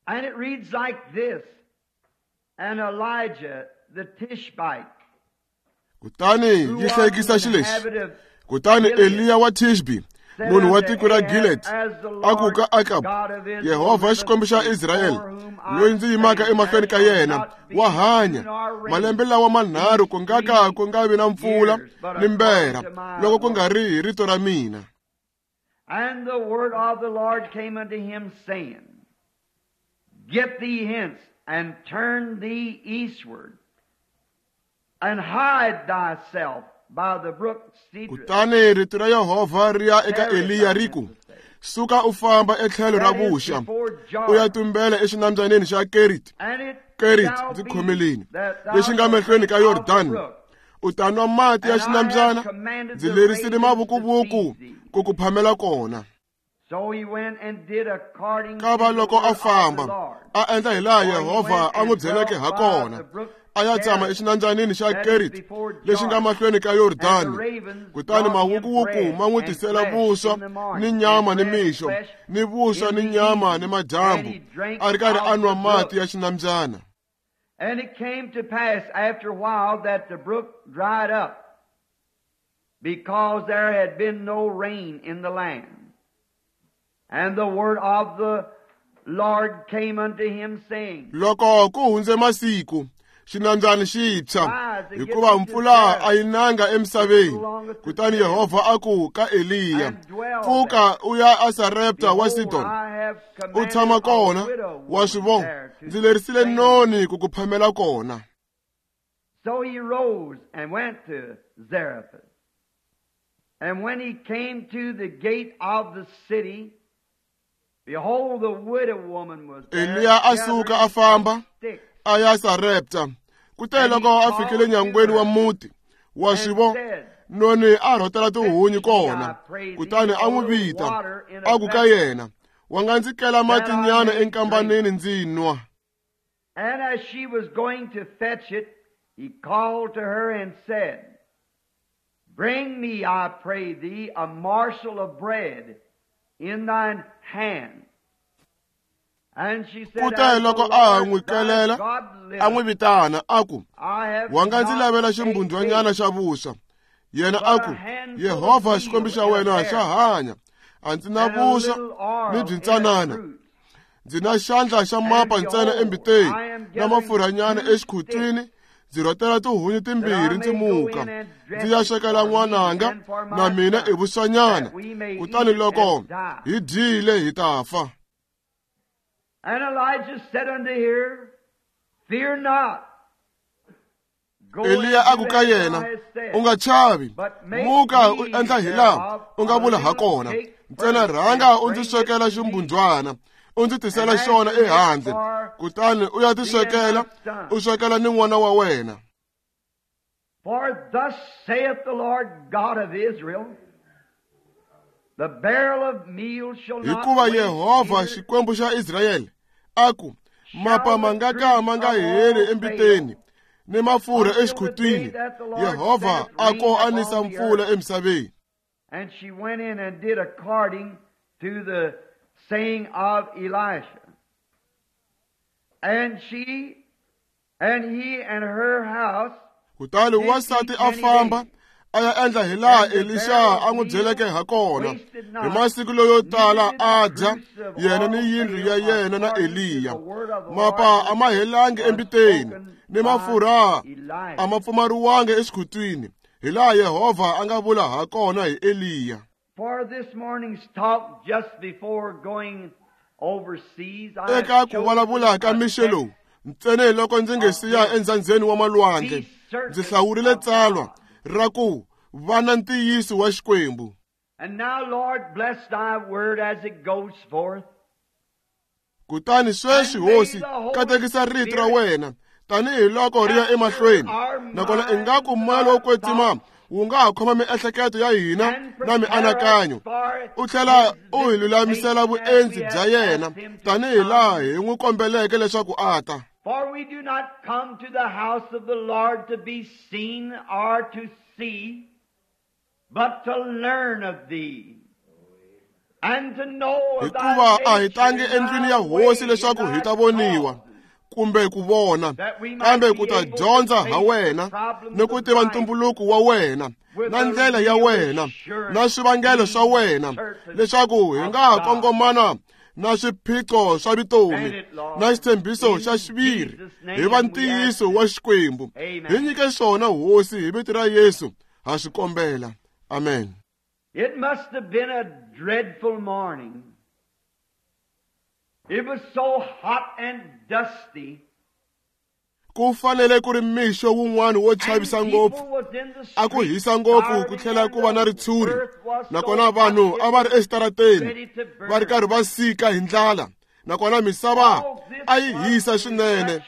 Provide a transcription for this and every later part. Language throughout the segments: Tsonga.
And it reads like this, And Elijah the Tishbite, Kutani who yi was hlekisa an xilexi. inhabitant of Kutani Gilead, Eliya wa Tishbi, said munhu wa unto tiko ra Ahab, Gilead, As the a ku Lord ka Akabu, God of Israel Yehovha liveth, Xikwembu xa Israyele, before whom I loyi ndzi yimaka stand, emahlweni ka there shall yena, not be wa hanya dew nor rain malembe lawa manharhu ku nga ka ku nga vi na mpfula years, but ni mbera, according to my loko ku nga word. ri hi rito ra mina. And the word of the Lord came unto him, saying, Get thee hence, and turn thee eastward, and hide thyself by the brook Cedrus. Kutani rito ra Yehovha ri ya eka There is Eliya thy ri ku, meant to say. Suka u famba etlhelo ra That is vuxa, before u ya Jordan. tumbela exinambyaleni xa Kerit, And it Kerit shall ndzi be khomeleni, that thou lexi nga shalt mahlweni drink ka of the Yordani. brook. U ta nwa mati ya And I have xinambyana, commanded ndzi the lerisile ravens to mavukuvuku feed thee. ku ku phamela kona. So he went and did according Ka to va the loko word a of the famba, Lord. a endla hi laha For he Yehovha went a n'wi and byeleke dwelt ha by kona. the brook A ya tshama Cherith, exinambyaleni xa that is Kerit, before lexi nga Jordan. mahlweni ka And the Yordani. ravens Kutani brought him mawukuwuku bread ma n'wi and tisela flesh vuswa in the ni morning, and nyama ni bread and mixo, flesh ni vuswa in ni the nyama ni evening. And madyambu, he drank a ri karhi a of nwa the mati brook. ya xinambyana. And it came to pass after a while that the brook dried up, because there had been no rain in the land. And the word of the Lord came unto him, saying, Loko ku hundze masiku, xinambyana xi tshwa, Rise and get hikuva thee to mpfula a yi Zarephath, nanga which emisaveni. belongeth to Kutani Sidon, Yehovha a ku ka Eliya, and dwell there. Pfuka u ya eSarepta wa Behold, Sidoni, I have u commanded tshama a kona, widow wa swi woman vona, there to ndzi lerisile sustain thee. noni ku ku phamela kona. So he rose and went to Zarephath. And when he came to the gate of the city, behold, the widow woman was there Eliya a suka gathering a famba sticks. a ya Sarepta. Kute And he loko a fikile called to nyangweni wa her muti, wa swi and vona, said, noni a rhotela tihunyi Fetch me, kona. I pray thee, Kutani a a n'wi little vita, water in a a ku ka vessel, yena, Wa nga ndzi kela that I matinyana may drink. enkambaneni ndzi nwa. And as she was going to fetch it, he called to her and said, Bring me, I pray thee, a morsel of bread in thine hand. And she said, Kute As the loko a ha Lord n'wi thy kelela, God a n'wi liveth, vitana, a ku, I have Wa nga ndzi not lavela a ximbundwanyana cake, xa vuswa. Yena a but ku, a handful of Yehovha Xikwembu meal xa in a wena xa barrel, hanya, a ndzi na and a vuswa little ni oil in a byintsanana. cruse. Ndzi na xandla xa And mapa ntsena behold, embiteni, I am na gathering mafurhanyana 2 sticks, exikhutwini, ndzi rhotela tihunyi that I timbirhi ndzi may go muka, in and ndzi dress ya it swekela for me n'wananga and for na my mina i son, vuswanyana. that we may Kutani eat loko and die. hi dyile hi ta fa. And Elijah said unto her, Fear not. Go Eliya and a ku do ka as thou yena, hast U said, nga chavi, but make muka u me endla hi laha thereof u nga a vula ha little kona. cake Ntsena first, rhanga and u ndzi bring it swekela to me, ximbundzwana, u ndzi and tisela xona after it ehandle, for kutani u ya thee and tiswekela, thy u son. swekela ni n'wana wa wena. For thus saith the Lord God of Israel, The barrel of meal shall not Hikuva waste, Yehovha neither Xikwembu xa Israyele a ku, mapa shall ma the nga ka cruse ma nga of heli oil fail, embiteni, ni mafurha until the day exikhutwini. that the Lord Yehovha sendeth a rain ko a upon nisa the mpfula earth. emisaveni. And she went in and did according to the saying of Elisha. And she and he and her house Kutani did wansati eat a many famba days. a ya endla hi laha And the Elisha barrel a of n'wi meal byeleke ha kona. wasted Hi not, masiku loyo neither tala did the a dya, cruse of yena ni oil yindlu ya fail, yena na according to the Eliya. word of the Lord Mapa a ma which helangi was embiteni, spoken ni by mafurha a Elisha. ma pfumariwangi exikhutwini, hi laha Yehovha a nga vula ha kona hi Eliya. For this morning's talk, just before going overseas, I have Eka ku chosen vulavula ka a mixo text lowu, ntsena hi loko ndzi nge of siya this. endzhandzeni wa malwandle, Be ndzi certain hlawurile of tsalwa God. ra ku va na ntiyiso wa Xikwembu. And now, Lord, bless thy word as it goes forth. Kutani sweswi And may Hosi, the Holy katekisa rito ra Spirit wena tanihi loko ri ya capture emahlweni, our nakona ingaku minds and moya lowo our kwetsima thoughts wu nga ha khoma miehleketo ya hina and na prepare us mianakanyo, for u tlhela his u hi lulamisela visitation as vuendzi we bya have yena asked him to tanihi laha come. hi n'wi kombeleke leswaku a ta. For we do not come to the house of the Lord to be seen or to see, but to learn of thee. Hikuva a hi tangi endlwini ya hosi leswaku hi ta voniwa kumbe ku vona, kambe ku ta dyondza ha wena ni ku tiva ntumbuluko wa wena na ndlela ya wena na swivangelo swa wena, leswaku hi nga kongomana na swiphiqo swa vutomi na xitshembiso xa xiviri hi va ntiyiso wa Xikwembu. Hi nyike swona hosi hi vito ra Yesu ha swi kombela. Amen. It must have been a dreadful morning. It was so hot and dusty. Ku fanele ku ri mixo wun'wana wo chavisa ngopfu, a ku hisa ngopfu ku tlhela ku va na ritshuri, nakona vanhu a va ri exitarateni va ri karhi va sika hi ndlala, nakona misava a yi hisa swinene,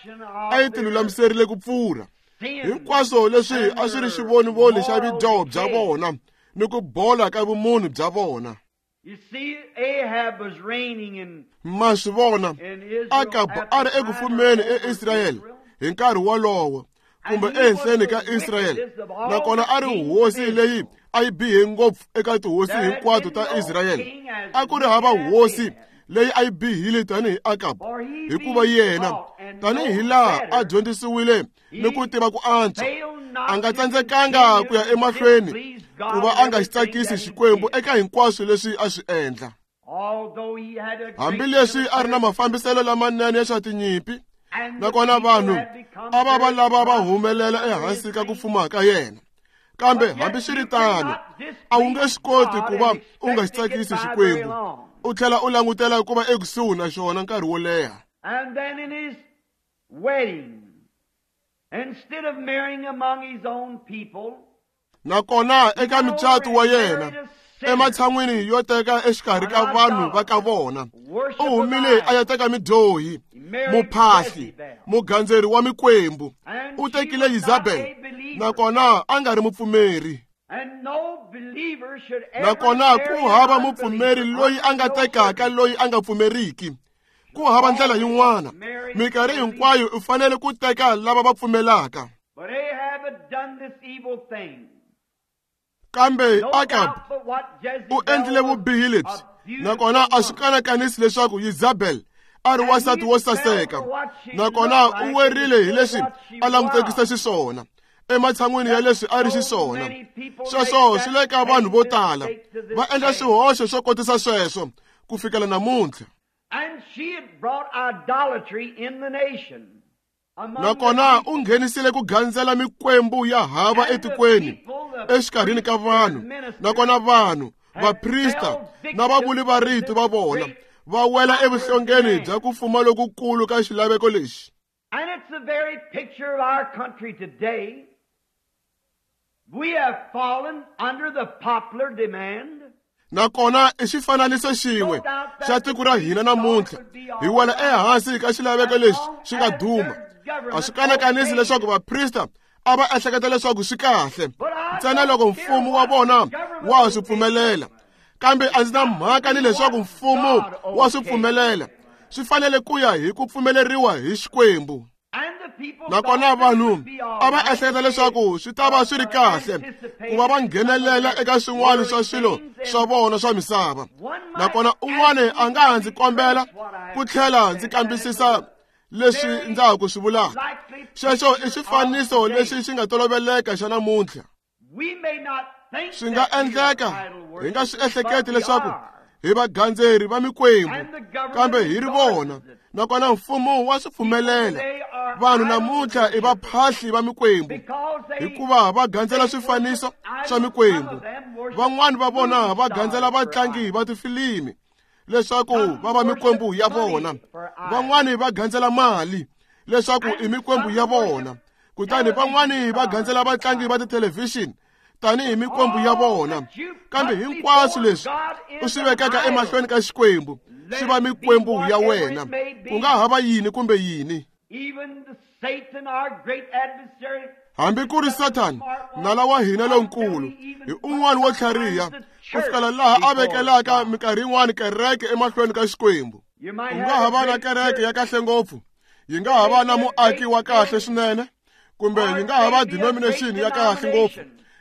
a yi tilulamiserile ku pfurha. Hinkwaswo leswi a swi ri xivonivoni xa vudyoho bya vona ni ku bola ka vumunhu bya vona. Ma swi vona, Akabu a ri eku fumeni eIsrayele hi nkarhi wolowo, kumbe ehenhleni ka Israyele, nakona a ri hosi leyi a yi bihe ngopfu eka tihosi hinkwato ta Israyele. A ku ri hava hosi leyi a yi bihile tanihi Akabu, hikuva yena tanihi laha a dyondzisiwile ni ku tiva ku antswa, a nga tsandzekanga ku ya emahlweni ku va a nga xi tsakisi Xikwembu eka hinkwaswo leswi a swi endla. Hambileswi a ri na mafambiselo lamanene ya swa tinyimpi, nakona vanhu a va va lava va humelela ehansi ka ku fuma ka yena, kambe hambiswiritano a wu nge swi koti ku va u nga xi tsakisi Xikwembu u tlhela u langutela ku va ekusuhi na xona nkarhi wo leha. And then in his wedding, instead of marrying among his own people, nakona eka mucato wa yena, ematshan'wini yo teka exikarhi ka vanhu va ka vona, u humile a ya teka midyohi, muphahli, mugandzeri wa mikwembu. U tekile Yizabel, nakona a nga ri mupfumeri. Nakona ku hava mupfumeri loyi a nga tekaka loyi a nga pfumeriki. Ku hava ndlela yin'wana. Minkarhi hinkwayo u fanele ku teka lava va pfumelaka. Kambe Akab u endlile vubihi lebyi, nakona a swi kanakanisi leswaku Yizabel a ri wansati wo saseka, nakona u werile hi leswi a langutekisa xiswona ematshan'wini ya leswi a ri xiswona. Sweswo swi le ka vanhu vo tala va endla swihoxo swo kotisa sweswo ku fikela namuntlha. Nakona u nghenisile ku gandzela mikwembu ya hava etikweni exikarhini ka vanhu, nakona vanhu, vaprista na vavuli va rito va vona va wela evuhlongeni bya ku fuma lokukulu ka xilaveko lexi. And it's the very picture of our country today. We have fallen under the popular demand. Nakona i xifananiso xin'we xa tiko ra hina namuntlha, hi wela ehansi ka xilaveko lexi xi nga duma. A swi kanakanisi leswaku vaprista a va ehleketa leswaku swi kahle ntsena loko mfumo wa vona wa swi pfumelela, kambe a ndzi na mhaka ni leswaku mfumo wa swi pfumelela. Swi fanele ku ya hi ku pfumeleriwa hi Xikwembu. Nakona vanhu a va ehleketa leswaku swi ta va swi ri kahle ku va va nghenelela eka swin'wana swa swilo swa vona swa misava. Nakona un'wana a nga ha ndzi kombela ku tlhela ndzi kambisisa leswi ndza ha ku swi vulaka. Xexo i xifaniso lexi xi nga toloveleka xa namuntlha. Swi nga endleka hi nga swi ehleketi leswaku hi vagandzeri va mikwembu, kambe hi ri vona, nakona mfumo wa swi pfumelela. Vanhu namuntlha i vaphahli va mikwembu hikuva va gandzela swifaniso swa mikwembu. Van'wani va vona va gandzela vatlangi va tifilimi leswaku va va mikwembu ya vona. Van'wani va gandzela mali leswaku i mikwembu ya vona. Kutani van'wani va gandzela vatlangi va tithelevhixini tanihi mikwembu ya vona. Kambe hinkwaswo leswi u swi vekaka emahlweni ka Xikwembu swi va mikwembu ya wena, ku nga hava yini kumbe yini. Hambi ku ri Sathana, nala wa hina lonkulu, hi un'wana wo tlhariha ku fikela laha a vekelaka minkarhi yin'wana kereke emahlweni ka Xikwembu. U nga ha va na kereke ya kahle ngopfu, yi nga ha va na muaki wa kahle swinene, kumbe yi nga ha va denomination ya kahle ngopfu,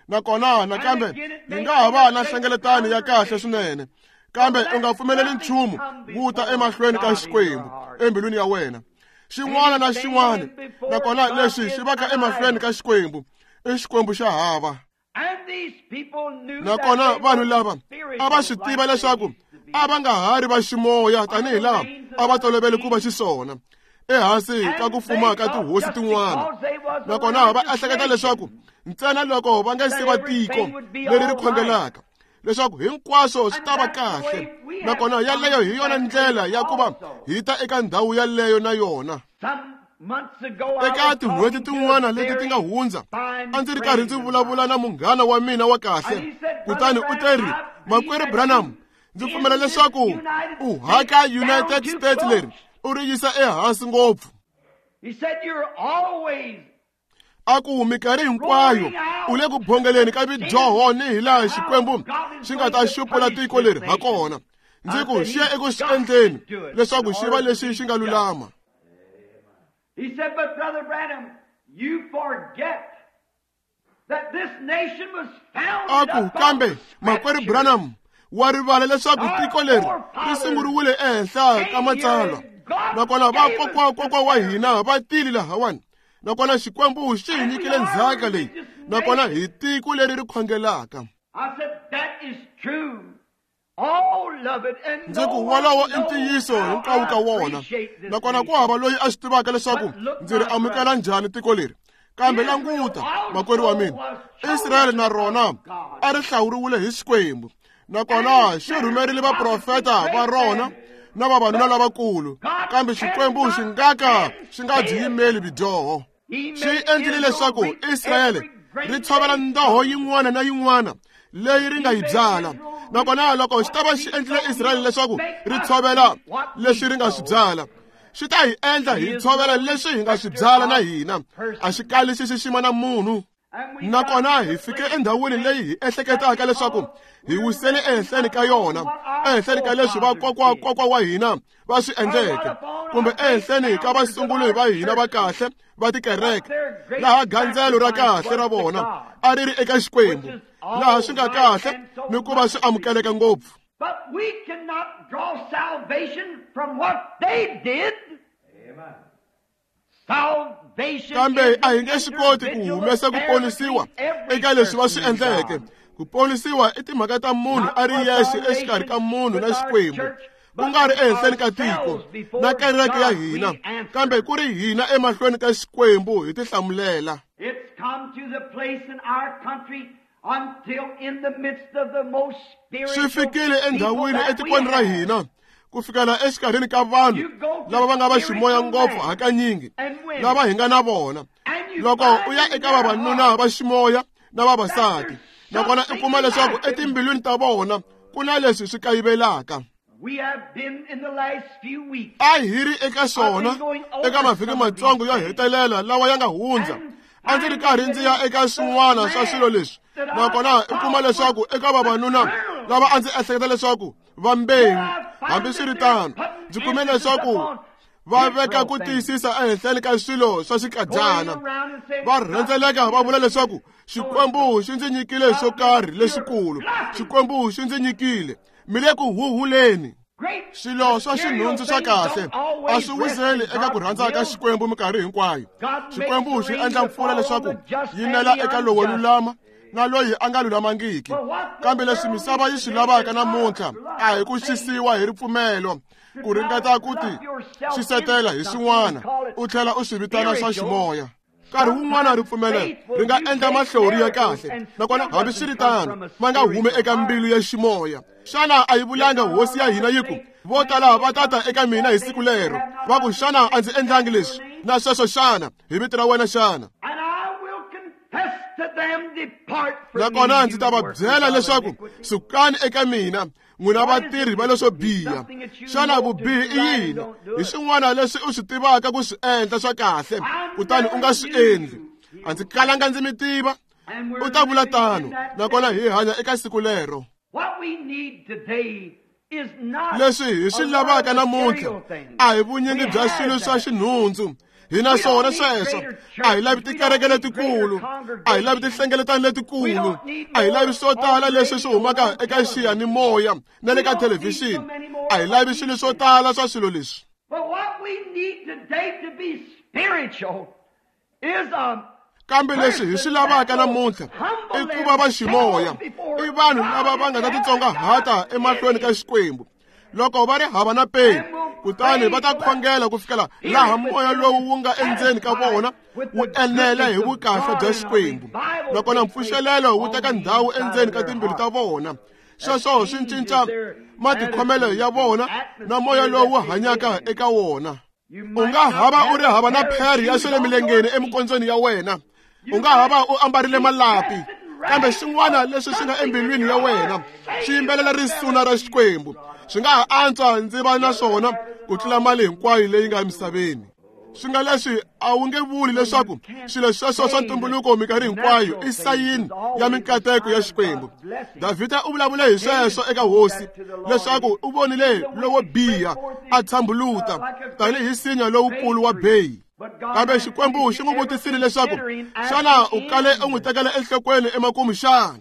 nakona nakambe yi nga ha va na nhlengeletano ya kahle swinene, Kambe u nga pfumeleli nchumu wu ta emahlweni ka Xikwembu embilwini ya wena. Xin'wana na xin'wana, nakona leswi xi vaka emahlweni ka Xikwembu i Xikwembu xa hava. Nakona vanhu lava a va swi tiva leswaku a va nga ha ri va ximoya tanihi laha a va tolovele ku va xiswona ehansi ka ku fuma ka tihosi tin'wana. Nakona va ehleketa leswaku ntsena loko va nga se va tiko leri ri khongelaka leswaku hinkwaswo swi ta va kahle. Nakona yaleyo hi yona ndlela ya ku va hi ta eka ndhawu yaleyo na yona. Eka tin'hweti tin'wana leti ti nga hundza, a ndzi ri karhi ndzi vulavula na munghana wa mina wa kahle, kutani u te ri, Makwerhu Branham, ndzi pfumela leswaku u haka United States leri u ri yisa ehansi ngopfu. A ku minkarhi hinkwayo u le ku bongeleni ka vidyoho ni hilaha Xikwembu xi nga ta xupula tiko leri ha kona. Ndzi ku xi ya eku swi endleni leswaku xi va lexi xi nga lulama. He said, but Brother Branham, you forget that this nation was founded A ku kambe Makwerhu Branham, wa rivala leswaku tiko leri ri sunguriwile ehenhla ka matsalwa. Nakona vakokwa wa hina va tile lahawani. Nakona Xikwembu xi hi nyikile ndzhaka leyi. Nakona hi tiko leri ri khongelaka. I said, that is true. All of it. And Ndzi ku wolowo i ntiyiso hinkwawo ka wona. Nakona ku hava loyi a swi tivaka leswaku ndzi ri amukela njhani tiko leri. Kambe languta, makwerhu wa mina, Israyele na rona a ri hlawuriwile hi Xikwembu. Nakona xi rhumerile vaprofeta va rona na vavanuna lavakulu, kambe Xikwembu xi nga ka xi nga byi yimeli vidyoho. Xi endlile leswaku Israyele ri tshovela ndoho yin'wana na yin'wana leyi ri nga yi byala. Nakona loko xi ta va xi endlile Israyele leswaku ri tshovela leswi ri nga swi byala, xi ta hi endla hi tshovela leswi hi nga swi byala na hina. A xi kali xi xixima na munhu. Nakona hi fike endhawini leyi hi ehleketaka leswaku hi wisele ehenhleni ka yona, ehenhleni ka leswi vakokwa wa hina va swi endleke, kumbe ehenhleni ka vasunguli va hina va kahle va tikereke, laha gandzelo ra kahle ra vona a ri ri eka Xikwembu, laha swi nga kahle ni ku va swi amukeleka ngopfu. But we cannot draw salvation from what they did. Amen. Kambe a hi nge swi koti ku humesa ku ponisiwa eka leswi va swi endleke. Ku ponisiwa i timhaka ta munhu a ri yexe exikarhi ka munhu na Xikwembu, ku nga ri ehenhleni ka tiko na kereke ya hina, kambe ku ri hina emahlweni ka Xikwembu hi tihlamulela. It's come to the place in our country until in the midst of the most Swi fikile endhawini etikweni ra hina ku fikela exikarhini ka vanhu lava va nga va ximoya ngopfu hakanyingi lava hi nga na vona. Loko u ya eka vavanuna va ximoya na vavasati, nakona u kuma leswaku etimbilwini ta vona ku na leswi swi kayivelaka. A hi ri eka swona eka mavhiki matsongo yo hetelela lawa ya nga hundza. A ndzi ri karhi ndzi ya eka swin'wana swa swilo leswi, nakona u kuma leswaku eka vavanuna lava a ndzi ehleketa leswaku va mbewu, hambiswiritano ndzi kume leswaku va veka ku tiyisisa ehenhleni ka swilo swa xikadyana. Va rhendzeleka va vula leswaku Xikwembu xi ndzi nyikile swo karhi lexikulu, Xikwembu xi ndzi nyikile. Mi le ku huhuleni. Swilo swa xinhundzu swa kahle a swi wiseli eka ku rhandza ka Xikwembu minkarhi hinkwayo. Xikwembu xi endla mpfula leswaku yi nela eka lowo lulama na loyi a nga lulamangiki. Kambe leswi misava yi swi lavaka namuntlha a hi ku xisiwa hi ripfumelo, ku ringeta ku ti xisetela hi swin'wana u tlhela u swi vitana swa ximoya. Nkarhi wun'wana ripfumelo ri nga endla mahlori ya kahle, nakona hambiswiritano ma nga humi eka mbilu ya ximoya. Xana a yi vulanga hosi ya hina yi ku, vo tala va tata eka mina hi siku lero, va ku xana a ndzi endlangi leswi na sweswo xana hi vito ra wena xana? Nakona ndzi ta va byela leswaku sukani eka mina n'wina vatirhi va leswo biha. Xana vubihi i yini? Hi swin'wana leswi u swi tivaka ku swi endla swa kahle, kutani u nga swi endli. A ndzi kalanga ndzi mi tiva. U ta vula tano, nakona hi hanya eka siku lero. Leswi hi swi lavaka namuntlha a hi vunyingi bya swilo swa xinhundzu. Hi na swona sweswo. A hi lavi tikereke letikulu, a hi lavi tinhlengeletano letikulu, a hi lavi swo tala leswi swi humaka eka xiyanimoya na le ka thelevhixini. A hi lavi swilo swo tala swa swilo leswi. Kambe leswi hi swi lavaka namuntlha i ku va va ximoya, i vanhu lava va nga ta titsongahata emahlweni ka Xikwembu. Loko va ri hava na peni, kutani va ta khongela ku fikela laha moya lowu wu nga endzeni ka vona wu enela hi vukahle bya Xikwembu, nakona mpfuxelelo wu teka ndhawu endzeni ka timbilu ta vona. Sweswo swi cinca matikhomelo ya vona na moya lowu hanyaka eka wona. U nga hava u ri hava na pheri ya swa le milengeni emikondzweni ya wena, u nga hava u ambarile malapi, kambe xin'wana leswi swi nga embilwini ya wena xi yimbelela risuna ra Xikwembu. Swi nga ha antswa ndzi va na swona ku tlula mali hinkwayo leyi nga emisaveni. Swi nga leswi a wu nge vuli leswaku swilo sweswo swa ntumbuluko minkarhi hinkwayo i sayini ya minkateko ya Xikwembu. Davhida u vulavule hi sweswo eka hosi leswaku u vonile lowo biha a tshambuluta tanihi nsinya lowukulu wa beyi. Kambe Xikwembu xi n'wi vutisile leswaku xana u kale u n'wi tekela enhlokweni emakumu xana?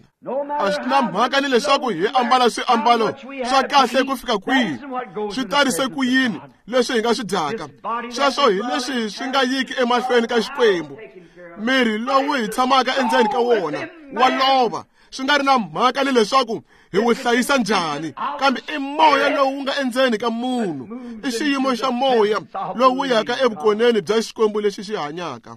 A swi na mhaka ni leswaku hi ambala swiambalo swa kahle ku fika kwihi, swi tarise ku yini leswi hi nga swi dyaka, sweswo hi leswi swi nga yiki emahlweni ka Xikwembu. Miri lowu hi tshamaka endzeni ka wona wa lova, swi nga ri na mhaka ni leswaku hi wu hlayisa njhani, kambe i moya lowu nga endzeni ka munhu, i xiyimo xa moya lowu yaka evukoneni bya Xikwembu lexi xi hanyaka.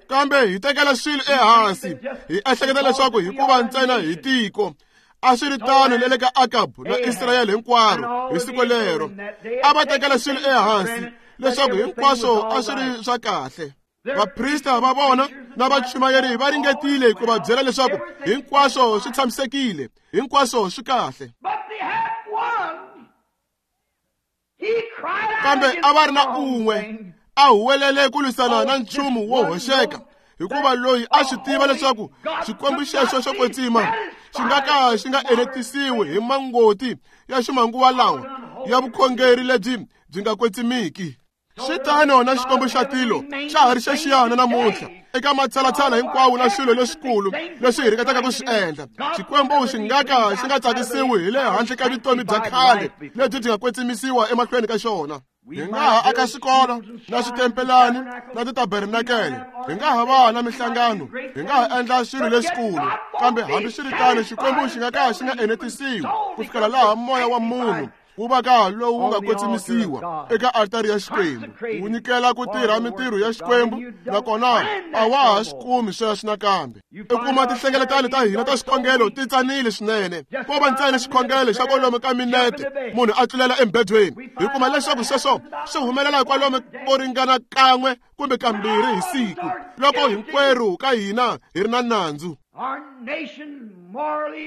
Kambe hi tekela swilo ehansi, hi ehleketa leswaku hikuva ntsena hi tiko. A swi ri tano na le ka Akabu na Israyele hinkwaro hi siku lero. A va tekela swilo ehansi leswaku hinkwaswo a swi ri swa kahle. Vaprista va vona na vachumayeri va ringetile ku va byela leswaku hinkwaswo swi tshamisekile, hinkwaswo swi kahle. Kambe a va ri na un'we a huwelele ku lwisana na nchumu wo hoxeka, hikuva loyi a swi tiva leswaku Xikwembu xexo xo kwetsima xi nga ka xi nga enetisiwi hi mangoti ya ximanguva lawa ya vukhongeri lebyi byi nga kwetsimiki. Swi tano na Xikwembu xa tilo xa ha ri xexiyana namuntlha eka matshalatshala hinkwawo na swilo leswikulu leswi hi ringetaka ku swi endla. Xikwembu xi nga ka xi nga tsakisiwi hi le handle ka vutomi bya khale lebyi byi nga kwetsimisiwa emahlweni ka xona. Hi nga ha aka swikolo na switempelani na titabernakele, hi nga ha va na mihlangano, hi nga ha endla swilo leswikulu, kambe hambiswiritano Xikwembu xi nga ka xi nga enetisiwi ku fikela laha moya wa munhu wu va ka lowu nga kwetsimisiwa eka altari ya Xikwembu, wu nyikela ku tirha mintirho ya Xikwembu, nakona a wa ha swi kumi sweswo nakambe. I kuma tinhlengeletano ta hina ta swikhongelo ti tsanile swinene, ko va ntsena xikhongelo xa kwalomu ka minete munhu a tlulela embedweni. Hi kuma leswaku sweswo swi humelela kwalomu ko ringana kan'we kumbe kambirhi hi siku, loko hinkwerhu ka hina hi ri na nandzu.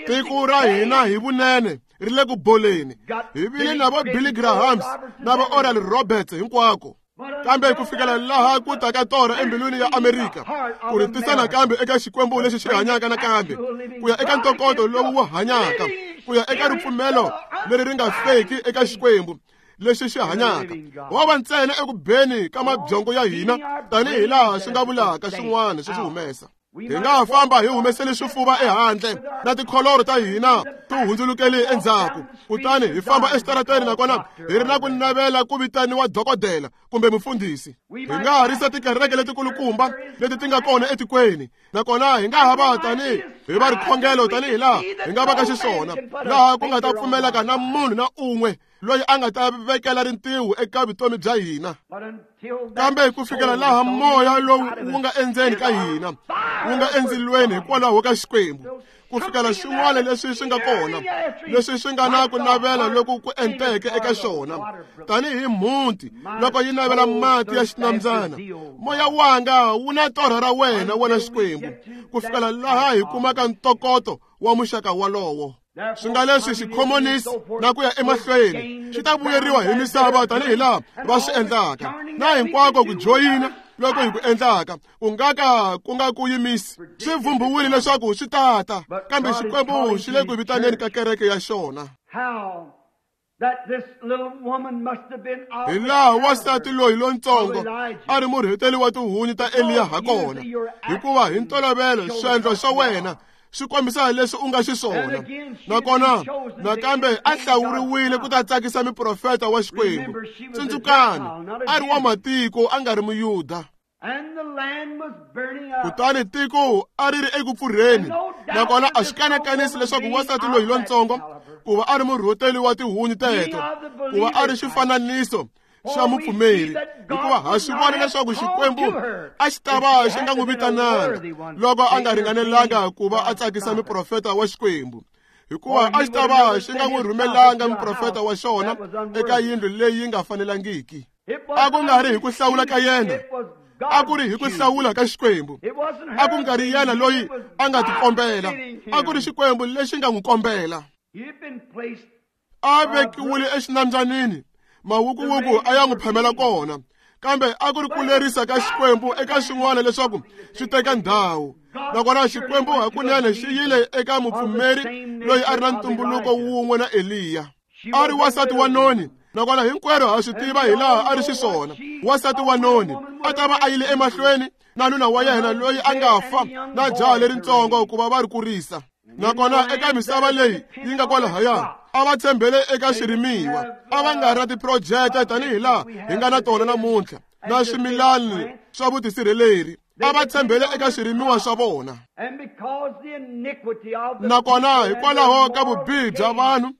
Tiko ra hina hi vunene ri le ku boleni. Hi vile na vo Billy Grahams na vo Oral Roberts hinkwako, kambe ku fikela laha ku taka torha embilwini ya Amerika ku ri tisa nakambe eka Xikwembu lexi xi hanyaka nakambe, ku ya eka ntokoto lowu wu hanyaka, ku ya eka ripfumelo leri ri nga feki eka Xikwembu lexi xi hanyaka. Wa va ntsena eku beni ka mabyongo ya hina tanihi laha swi nga vulaka swin'wana swi swi humesa. Hi nga ha famba hi humesele swifuva ehandle na tikholoro ta hina ti hundzulukele endzhaku, kutani hi famba exitarateni nakona hi ri na ku navela ku vitaniwa dokodela kumbe mufundhisi. Hi nga ha risa tikereke letikulukumba leti ti nga kona etikweni, nakona hi nga ha va tanihi hi va rikhongelo tanihi laha hi nga va ka xiswona, laha ku nga ta pfumeleka na munhu na un'we loyi a nga ta vekela rintiho eka vutomi bya hina. Kambe ku fikela laha moya lowu wu nga endzeni ka hina wu nga endzilweni hikwalaho ka Xikwembu, ku fikela xin'wana leswi swi nga kona leswi swi nga na ku navela loku ku enteke eka xona, tanihi mhunti loko yi navela mati ya xinambyana, moya wanga wu na torha ra wena, wena Xikwembu, ku fikela laha hi kumaka ntokoto wa muxaka walowo. Swi nga leswi xikhomonisi na ku ya emahlweni xi ta vuyeriwa hi misava tanihi laha va swi endlaka, na hinkwako ku joyina loko hi ku endlaka ku nga ka ku nga ku yimisi. Swi vhumbiwile leswaku swi tata, kambe Xikwembu xi le ku vitaneni ka kereke ya xona. Hi laha wansati loyi lontsongo a ri murheteli wa tihunyi ta Eliya hakona, hikuva hi ntolovelo swiendlo swa wena swi kombisa leswi u nga xiswona. Nakona nakambe a hlawuriwile ku ta tsakisa muprofeta wa Xikwembu. Tsundzukani, a ri wa matiko, a nga ri Muyuda. Kutani tiko a ri ri eku pfurheni, nakona a swi kanakanisi leswaku wansati loyi lontsongo ku va a ri murhoteli wa tihunyi teto, ku va a ri xifananiso xa mupfumeri, hikuva ha swi vona leswaku Xikwembu a xi ta va xi nga n'wi vitananga loko a nga ringanelanga ku va a tsakisa muprofeta wa Xikwembu, hikuva a xi ta va xi nga n'wi rhumelanga muprofeta wa xona eka yindlu leyi nga fanelangiki. A ku nga ri hi ku hlawula ka yena, a ku ri hi ku hlawula ka Xikwembu. A ku nga ri yena loyi a nga tikombela, a ku ri Xikwembu lexi nga n'wi kombela. A vekiwile exinambyanini, mawukuwuku a ya n'wi phamela kona, kambe a ku ri ku lerisa ka Xikwembu eka xin'wana leswaku swi teka ndhawu. Nakona Xikwembu hakunene xi yile eka mupfumeri loyi a ri na ntumbuluko wun'we na Eliya. A ri wansati wa noni, nakona hinkwerhu ha swi tiva hi laha a ri xiswona. Wansati wa noni a ta va a yile emahlweni na nuna wa yena loyi a nga fa na jaha leritsongo ku va va ri kurisa. Nakona eka misava leyi yi nga kwalahaya a va tshembele eka swirimiwa, a va nga ri na tiphurojete tanihi laha hi nga na tona namuntlha na swimilani swa vutisirheleri. A va tshembele eka swirimiwa swa vona. Nakona hikwalaho ka vubihi bya vanhu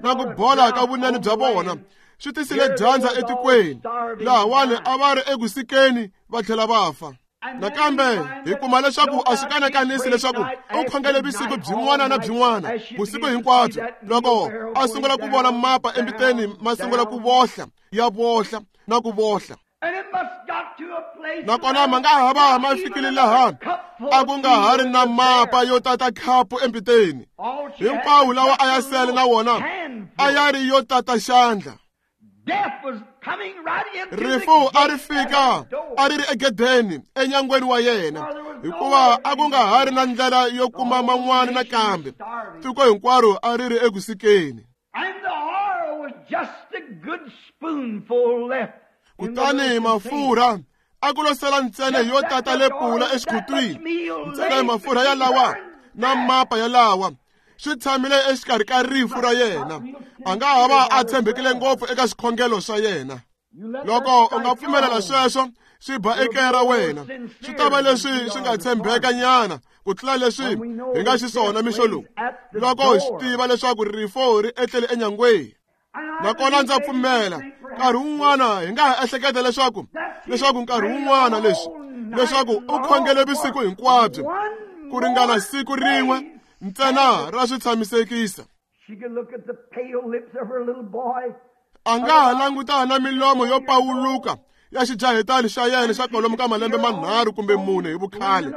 na ku bola ka vunene bya vona, swi tisile dyandza etikweni. Lahawani a va ri eku sikeni va tlhela va fa. Nakambe hi kuma leswaku a swi kanakanisi leswaku u khongele vusiku byin'wana na byin'wana, vusiku hinkwabyo, loko a sungula ku vona mapa embiteni ma sungula ku vohla, ya vohla na ku vohla. Nakona ma nga ha va ma fikile laha a ku nga ha ri na mapa yo tata khapu embiteni. Hinkwawo lawa a ya sele na wona a ya ri yo tata xandla. Rifu a ri fika a ri ri egedeni enyangweni wa yena, hikuva a ku nga ha ri na ndlela yo kuma man'wana nakambe. Tiko hinkwaro a ri ri eku sikeni. Kutani mafurha a ku lo sala ntsena yo tata lepula exikhutwini, ntsena mafurha yalawa na mapa yalawa swi tshamile exikarhi ka rifu ra yena. A nga ha va a tshembekile ngopfu eka swikhongelo swa yena. Loko u nga pfumelela sweswo swi ba ekaya ra wena, swi ta va leswi swi nga tshembeka nyana ku tlula leswi hi nga xiswona mixo lowu, loko hi swi tiva leswaku rifu ri etlele enyangweni. Nakona ndza pfumela nkarhi wun'wana hi nga ha ehleketa leswaku nkarhi wun'wana leswi leswaku u khongele vusiku hinkwabyo ku ringana siku rin'we ntsena ra swi tshamisekisa. A nga ha langutana na milomo yo pawuluka ya xijahetani xa yena xa kwalomu ka malembe manharhu kumbe mune hi vukhale,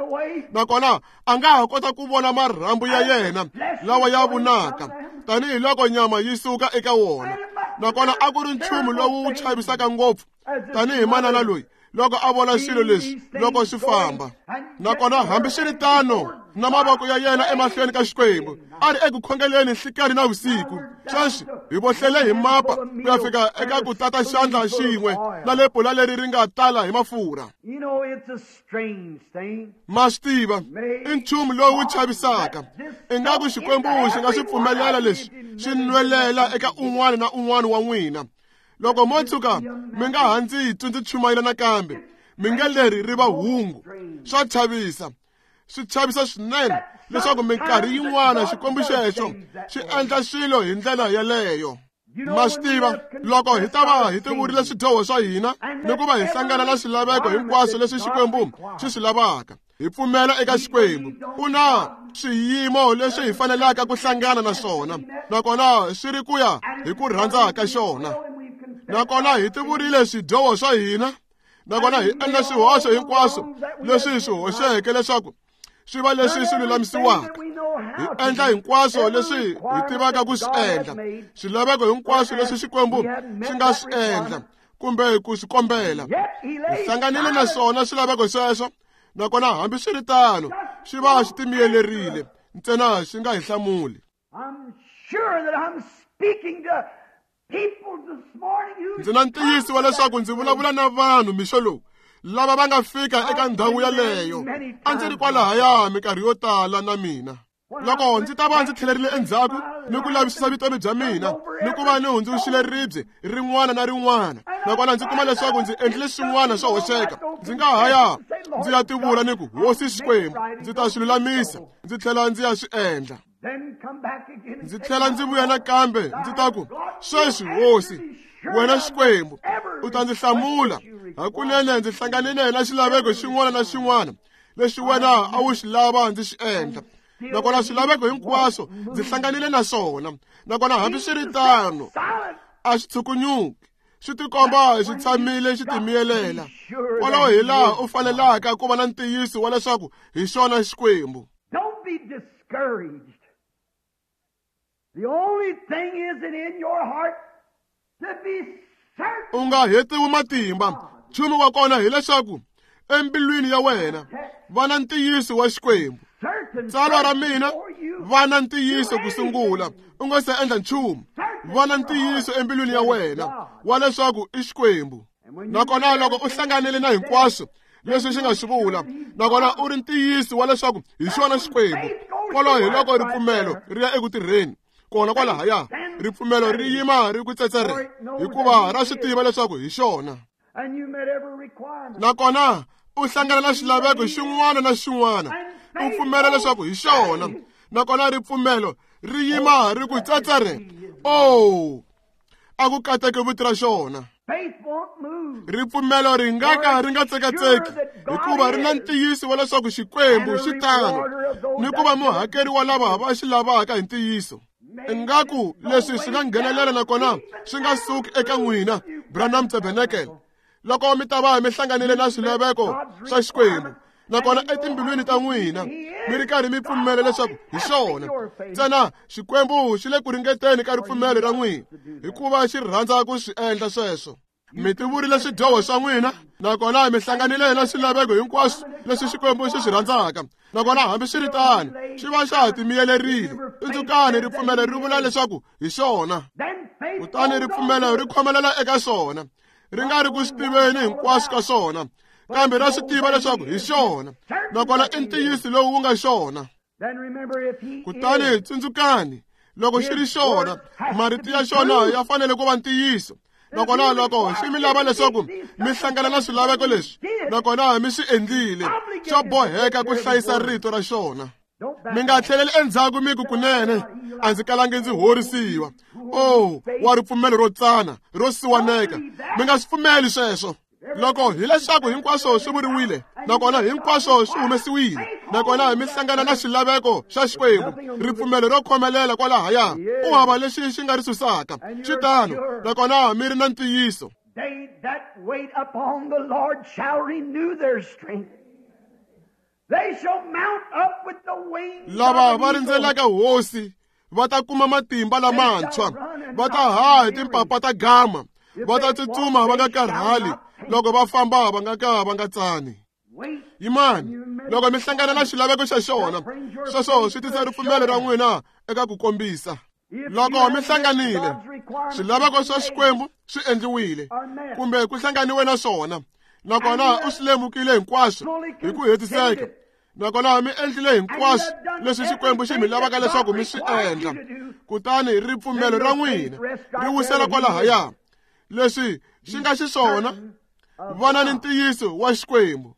nakona a nga ha kota ku vona marhambu ya yena lawa ya vunaka tanihiloko nyama yi suka eka wona. Nakona a ku ri nchumu lowu wu chavisaka ngopfu tanihi manana loyi loko a vona swilo leswi loko swi famba. Nakona hambiswiritano na mavoko ya yena emahlweni ka Xikwembu a ri eku khongeleni nhlikani na vusiku. Sweswi hi vohlele hi mapa ku ya fika eka ku tata xandla xin'we na lepula leri ri nga tala hi mafurha. Ma swi tiva, i nchumu lowu chavisaka. Ingaku Xikwembu xi nga swi pfumelela leswi swi nwelela eka un'wana na un'wana wa n'wina. Loko mo tshuka mi nga ha ndzi twi ndzi chumayela nakambe, mi nge leri ri va hungu. Swa chavisa, swi chavisa swinene leswaku minkarhi yin'wana Xikwembu xexo xi endla swilo hi ndlela yeleyo. Ma swi tiva, loko hi ta va hi tivurile swidyoho swa hina ni ku va hi hlangana na swilaveko hinkwaswo leswi Xikwembu xi swi lavaka, hi pfumela eka Xikwembu. Ku na swiyimo leswi hi fanelaka ku hlangana na swona, nakona swi ri ku ya hi ku rhandza ka xona. Nakona hi tivurile swidyoho swa hina, nakona hi endla swihoxo hinkwaswo leswi hi swi hoxeke leswaku swi va leswi swi lulamisiwaka. Hi endla hinkwaswo leswi hi tivaka ku swi endla, swilaveko hinkwaswo leswi Xikwembu xi nga swi endla kumbe ku swi kombela. Hi hlanganile na swona swilaveko sweswo, nakona hambiswiritano swi va swi timiyelerile ntsena swi nga hi hlamuli. Ndzi na ntiyiso wa leswaku ndzi vulavula na vanhu mixo lowu lava va nga fika eka ndhawu yaleyo. A ndzi ri kwalahaya minkarhi yo tala na mina. Loko ndzi ta va ndzi tlhelerile endzhaku ni ku lavisisa vutomi bya mina ni ku va ni hundzuxile ribye rin'wana na rin'wana, nakona ndzi kuma leswaku ndzi endlile swin'wana swo hoxeka, ndzi nga haya ndzi ya tivula ni ku hosi Xikwembu, ndzi ta swi lulamisa, ndzi tlhela ndzi ya swi endla. Ndzi tlhela ndzi vuya nakambe ndzi ta ku, sweswi hosi, wena Xikwembu, u ta ndzi hlamula. Hakunene ndzi hlanganile na xilaveko xin'wana na xin'wana lexi wena a wu xi lava ndzi xi endla. Nakona swilaveko hinkwaswo ndzi hlanganile na swona. Nakona hambiswiritano a swi tshukunyuki, swi tikomba xi tshamile xi timiyelela. Kwalaho hi laha u fanelaka ku va na ntiyiso wa leswaku hi xona Xikwembu. Don't be discouraged. The only thing is it in your heart to be certain. U nga hetiwi matimba. Nchumu wa kona hileswaku embilwini ya wena va na ntiyiso wa Xikwembu. Tsalwa ra mina, va na ntiyiso ku sungula, u nga se endla nchumu. Va na ntiyiso embilwini ya wena wa leswaku i Xikwembu. Nakona loko u hlanganile na hinkwaswo leswi xi nga swi vula, nakona u ri ntiyiso wa leswaku hi xona Xikwembu, kwalaho hi loko ripfumelo ri ya eku tirheni. Kona kwalahaya ripfumelo ri yima ri ku tsetsere, hikuva ra swi tiva leswaku hi xona. Nakona u hlangana na xilaveko xin'wana na xin'wana, u pfumela leswaku hi xona. Nakona ripfumelo ri yima ri ku tsetsere. Oh, a ku kateke vito ra xona. Ripfumelo ri nga ka ri nga tsekatseki, hikuva ri na ntiyiso wa leswaku Xikwembu xi tano ni ku va muhakeri wa lava va xi lavaka hi ntiyiso. Ingaku leswi swi nga nghenelela nakona swi nga suki eka n'wina, Branham Tabernacle. Loko mi ta va mi hlanganile na swilaveko swa Xikwembu, nakona etimbilwini ta n'wina mi ri karhi mi pfumela leswaku hi xona ntsena, Xikwembu xi le ku ringeteni ka ripfumelo ra n'wina, hikuva xi rhandza ku swi endla sweswo. Mi tivurile swidyoho swa n'wina, nakona mi hlanganile na swilaveko hinkwaswo leswi Xikwembu xi swi rhandzaka. Nakona hambiswiritano xi va xa ha timiyelerile. Tsundzukani, ripfumelo ri vula leswaku hi xona. Kutani ripfumelo ri khomelela eka xona, ri nga ri ku swi tiveni hinkwaswo ka swona, kambe ra swi tiva leswaku hi xona. Nakona i ntiyiso lowu wu nga xona. Kutani tsundzukani, loko xi ri xona, marito ya xona ya fanele ku va ntiyiso. Nakona loko xi mi lava leswaku mi hlangana na swilaveko leswi, nakona mi swi endlile, xo boheka ku hlayisa rito ra xona. Mi nga tlheleli endzhaku mi ku kunene a ndzi kalangi ndzi horisiwa. Oh, wa ripfumelo ro tsana, ro siwaneka. Mi nga swi pfumeli sweswo. Loko hileswaku hinkwaswo swi vuriwile, nakona hinkwaswo swi humesiwile, nakona mi hlangana na xilaveko xa Xikwembu, ripfumelo ro khomelela kwalahaya, u hava lexi xi nga ri susaka. Swi tano, nakona mi ri na ntiyiso. They that wait upon the Lord shall renew their strength. They shall mount up with the wings. Lava va rindzelaka hosi va ta kuma matimba lamantshwa, va ta haha hi timpapa ta gama, va ta tsutsuma va nga karhali, loko va famba va nga ka va nga tsani. Yimani, loko mi hlangana na xilaveko xa xona, sweswo swi tisa ripfumelo ra n'wina eka ku kombisa. Loko mi hlanganile, swilaveko swa Xikwembu swi endliwile, kumbe ku hlanganiwe na swona, nakona u swi lemukile hinkwaswo hi ku hetiseka. Nakona mi endlile hinkwaswo leswi Xikwembu xi mi lavaka leswaku mi swi endla, kutani ripfumelo ra n'wina ri wisela kwalahaya. Leswi xi nga xiswona, vana ni ntiyiso wa Xikwembu.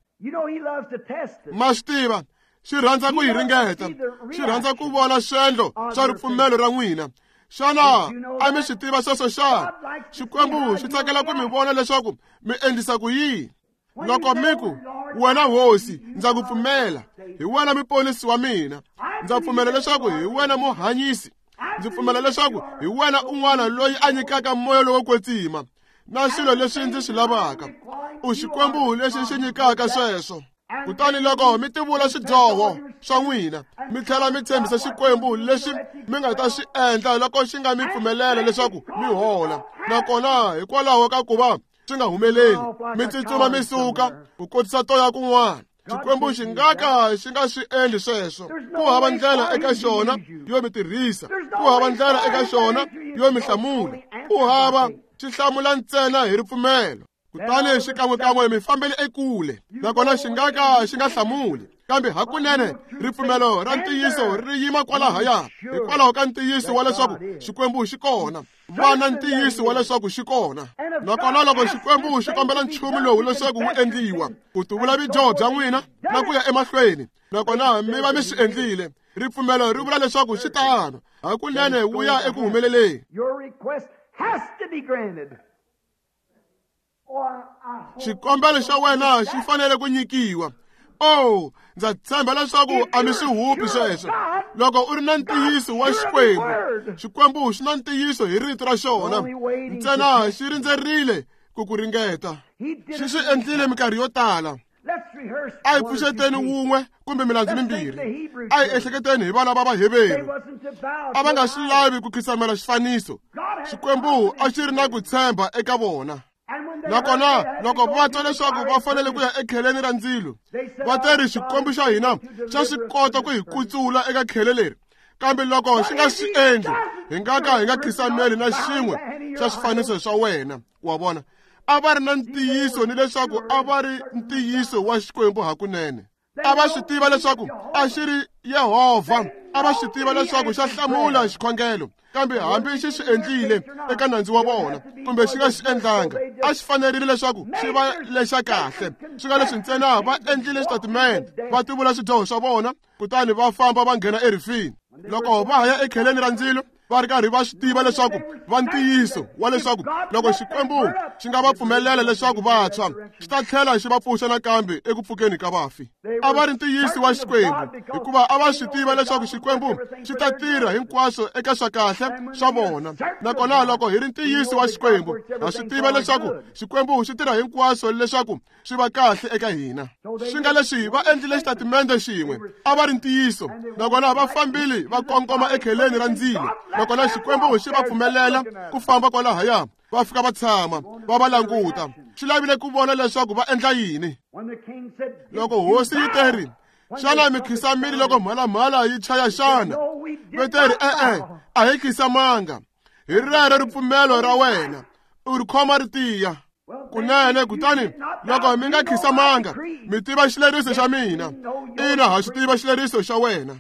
Ma swi tiva, xi rhandza ku yi ringeta, xi rhandza ku vona swendlo swa ripfumelo ra n'wina. Xana a mi swi tiva sweswo xana? Xikwembu xi tsakela ku mi vona leswaku mi endlisa ku yini. Loko mi ku, wena hosi, ndza ku pfumela, hi wena muponisi wa mina, ndza pfumela leswaku hi wena muhanyisi, ndzi pfumela leswaku hi wena un'wana loyi a nyikaka moya lowo kwetsima na swilo leswi ndzi swi lavaka. U Xikwembu lexi xi nyikaka sweswo. Kutani loko mi tivula swidyoho swa n'wina, mi tlhela mi tshembisa Xikwembu leswi mi nga ta swi endla loko xi nga mi pfumelela leswaku mi hola, nakona hikwalaho ka ku va swi nga humeleli, mi tsutsuma mi suka ku kotisa toya kun'wana. Xikwembu xi nga ka xi nga swi endli sweswo. Ku hava ndlela eka xona yo mi tirhisa, ku hava ndlela eka xona yo mi hlamula, ku hava xi hlamula ntsena hi ripfumelo. Kutani xikan'wekan'we mi fambele ekule, nakona xi nga ka xi nga hlamuli. Kambe hakunene ripfumelo ra ntiyiso ri yima kwalahaya hikwalaho ka ntiyiso wa leswaku Xikwembu xi kona. Va na ntiyiso wa leswaku xi kona. Nakona loko Xikwembu xi kombela nchumu lowu leswaku wu endliwa, ku tuvula vudyoho bya n'wina na ku ya emahlweni, nakona mi va mi swi endlile, ripfumelo ri vula leswaku xi tano, hakunene wu ya eku humeleleni. Xikombelo xa wena xi fanele ku nyikiwa. Oh, ndza tshemba leswaku a mi swi hupi sweswo. Loko u ri na ntiyiso wa Xikwembu, Xikwembu xi na ntiyiso hi rito ra xona, ntsena xi rindzerile ku ku ringeta. Xi swi endlile minkarhi yo tala. A hi pfuxeteni wun'we kumbe milandzu mimbirhi. A hi ehleketeni hi vana va Vaheveru. A va nga swi lavi ku khisamela xifaniso. Xikwembu a xi ri na ku tshemba eka vona. Nakona loko va twa leswaku va fanele ku ya ekheleni ra ndzilo, va teri Xikwembu xa hina xa swi kota ku hi kutsula eka khele leri. Kambe loko xi nga swi endli, hi nga ka hi nga khisameli na xin'we xa swifaniso swa wena. Wa vona, a va ri na ntiyiso ni leswaku a va ri ntiyiso wa Xikwembu hakunene. A va swi tiva leswaku a xi ri Yehovha, a va swi tiva leswaku xa hlamula xikhongelo, kambe hambi xi swi endlile eka nandzu wa vona kumbe xi nga swi endlanga, a xi fanerile leswaku xi va lexa kahle. Swi nga leswi ntsena va endlile xitatimende, va tivula swidyoho swa vona, kutani va famba va nghena erifini. Loko va ha ya ekheleni ra ndzilo, va ri karhi va swi tiva leswaku va ntiyiso wa leswaku loko Xikwembu xi nga va pfumelela leswaku va tshwa, xi ta tlhela xi va pfuxa nakambe eku pfukeni ka vafi. A va ri ntiyiso wa Xikwembu hikuva a va swi tiva leswaku Xikwembu xi ta tirha hinkwaswo eka swa kahle swa vona. Nakona loko hi ri ntiyiso wa Xikwembu, ha swi tiva leswaku Xikwembu xi tirha hinkwaswo leswaku swi va kahle eka hina. Swi nga leswi va endlile xitatimende xin'we, a va ri ntiyiso, nakona va fambile va kongoma ekheleni ra ndzilo, nakona Xikwembu xi va pfumelela ku famba kwalahaya, va fika va tshama va va languta. Xi lavile ku vona leswaku va endla yini. Loko hosi yi teri, xana mi khisamile loko mhalamhala yi chaya xana? Va teri, e-e, a hi khisamanga. Hi rero ripfumelo ra wena, u ri khoma ri tiya. Kunene, kutani loko mi nga khisamanga, mi tiva xileriso xa mina. Ina, ha xi tiva xileriso xa wena.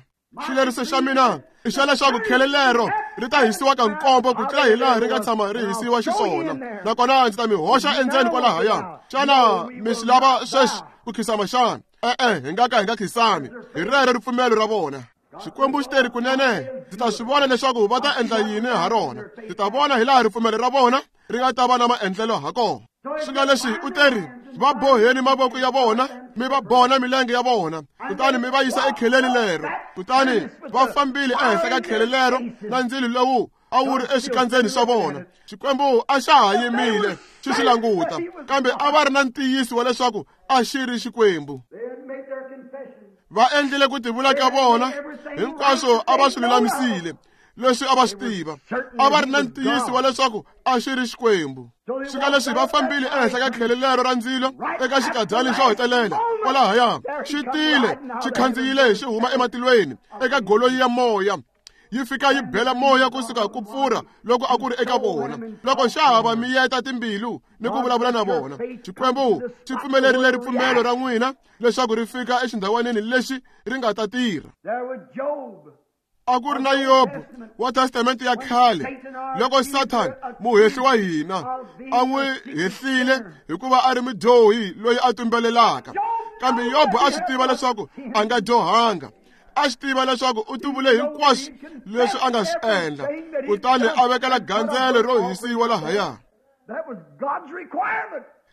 Xileriso xa mina i xa leswaku khele lero ri ta hisiwa ka nkombo ku tlula hi laha ri nga tshama ri hisiwa xiswona, nakona ndzi ta mi hoxa endzeni kwalahaya. Xana mi swi lava sweswi ku khisama xana? E-e, hi nga ka hi nga khisami. Hi rero ripfumelo ra vona. Xikwembu xi teri, kunene ndzi ta swi vona leswaku va ta endla yini ha rona. Ndzi ta vona hi laha ripfumelo ra vona ri nga ta va na maendlelo ha kona. Swi nga leswi u teri, va boheni mavoko ya vona, mi va bona milenge ya vona, kutani mi va yisa ekheleni lero. Kutani va fambile ehenhla ka khele lero na ndzilo lowu a wu ri exikandzeni swa vona. Xikwembu a xa ha yimile xi swi languta, kambe a va ri na ntiyiso wa leswaku a xi ri Xikwembu. Va endlile ku tivula ka vona hinkwaswo, a va swi lulamisile leswi a va swi tiva. A va ri na ntiyiso wa leswaku a xi ri Xikwembu. Swi nga leswi va fambile ehenhla ka khele lero ra ndzilo eka xikadyani xo hetelela kwalahaya, xi tile xi khandziyile xi huma ematilweni eka golonyi ya moya, yi fika yi bela moya kusuka ku pfurha loko a ku ri eka vona. Loko xa ha va miyeta timbilu ni ku vulavula na vona, Xikwembu xi pfumelerile ripfumelo ra n'wina leswaku ri fika exindhawanini lexi ri nga ta tirha. A ku ri na Yobo wa Testamente ya khale, loko Sathana muhehli wa hina a n'wi hehlile hikuva a ri mudyohi loyi a tumbelelaka. Kambe Yobo a swi tiva leswaku a nga dyohanga. A swi tiva leswaku u tivule hinkwaswo leswi a nga swi endla, kutani a vekela gandzelo ro hisiwa lahaya.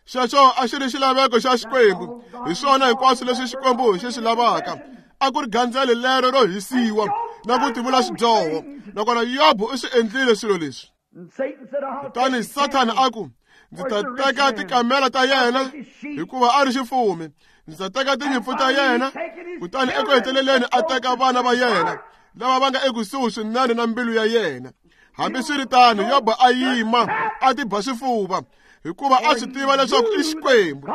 Xexo a xi ri xilaveko xa Xikwembu. Hi swona hinkwaswo leswi Xikwembu xi swi lavaka. A ku ri gandzelo lero ro hisiwa na ku tivula swidyoho. Nakona Yobo u swi endlile swilo leswi. Kutani Sathana a ku, ndzi ta teka tikamela ta yena hikuva a ri xifumi, ndzi ta teka tinyimpfu ta yena. Kutani eku heteleleni a teka vana va yena lava va nga ekusuhi swinene na mbilu ya yena. Hambiswiritano, Yobo a yima a tiba swifuva. Hikuva a swi tiva leswaku i Xikwembu.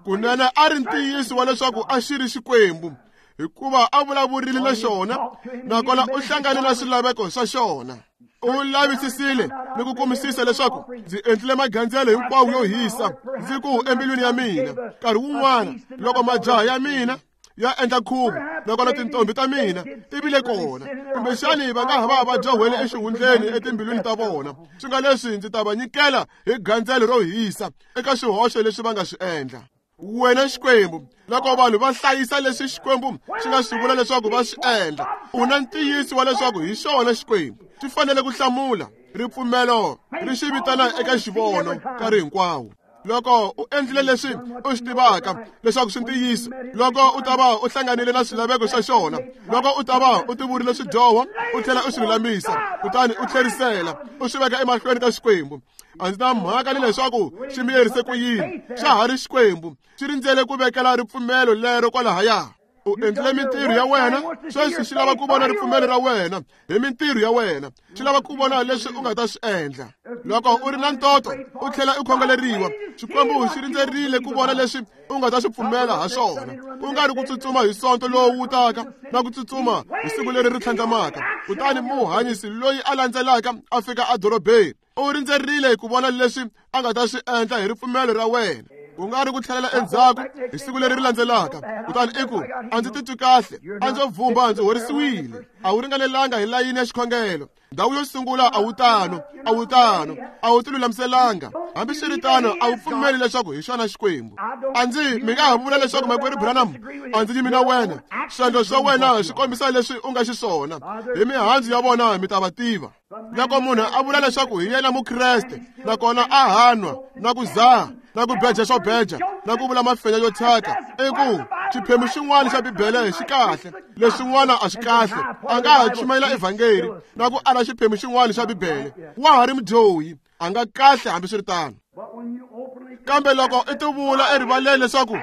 Kunene a ri ntiyiso wa leswaku a xi ri Xikwembu, hikuva a vulavurile na xona, nakona u hlangane na swilaveko swa xona. U lavisisile ni ku kumisisa leswaku ndzi endlile magandzelo hinkwawo yo hisa, ndzi ku embilwini ya mina, nkarhi wun'wana loko majaha ya mina ya endla khuvo, nakona tintombi ta mina ti vile kona, kumbexani va nga ha va va dyohwele exihundleni etimbilwini ta vona, swi nga leswi ndzi ta va nyikela hi gandzelo ro hisa eka swihoxo leswi va nga swi endla. Wena Xikwembu, loko vanhu va hlayisa leswi Xikwembu xi nga swi vula leswaku va swi endla, u na ntiyiso wa leswaku hi xona Xikwembu. Swi fanele ku hlamula ripfumelo ri xi vitana eka xivono nkarhi hinkwawo. Loko u endlile leswi u swi tivaka leswaku swi ntiyiso, loko u ta va u hlanganile na swilaveko swa xona, loko u ta va u tivurile swidyoho u tlhela u swi lulamisa, kutani u tlherisela u swi veka emahlweni ka Xikwembu, a ndzi na mhaka ni leswaku xi miyerise ku yini, xa ha ri Xikwembu, xi rindzele ku vekela ripfumelo lero kwalahaya. U endlile mintirho ya wena, sweswi xi lava ku vona ripfumelo ra wena hi mintirho ya wena, xi lava ku vona leswi u nga ta swi endla. Loko u ri na ntoto u tlhela u khongeleriwa, Xikwembu xi rindzerile ku vona leswi u nga ta swi pfumela ha swona, ku nga ri ku tsutsuma hi sonto lowu wu taka na ku tsutsuma hi siku leri ri tlhandlamaka. Kutani muhanyisi loyi a landzelaka a fika edorobeni, u rindzerile ku vona leswi a nga ta swi endla hi ripfumelo ra wena, ku nga ri ku tlhelela endzhaku hi siku leri ri landzelaka, kutani i ku, a ndzi titwi kahle, a ndzo vhumba, ndzi horisiwile. A wu ringanelanga hi layini ya xikhongelo. Ndhawu yo sungula a wu tano, a wu tano, a wu tilulamiselanga. Hambiswiritano, a wu pfumeli leswaku hi xona Xikwembu. A ndzi mi nga ha vula leswaku makwerhu Branham, a ndzi yimi na wena. Swiendlo swa wena swi kombisa leswi u nga xiswona. Hi mihandzu ya vona mi ta va tiva. Loko munhu a vula leswaku hi yena Mukreste, nakona a hanwa na ku zaha na ku beja swo beja na ku vula mafenya yo thyaka, i ku xiphemu xin'wana xa Bibele xi kahle, leswin'wana a swi kahle, a nga ha chumayela evhangeli na ku ala xiphemu xin'wana xa Bibele, wa ha ri mudyohi, a nga kahle hambiswiritano. Kambe loko i tivula erivaleni leswaku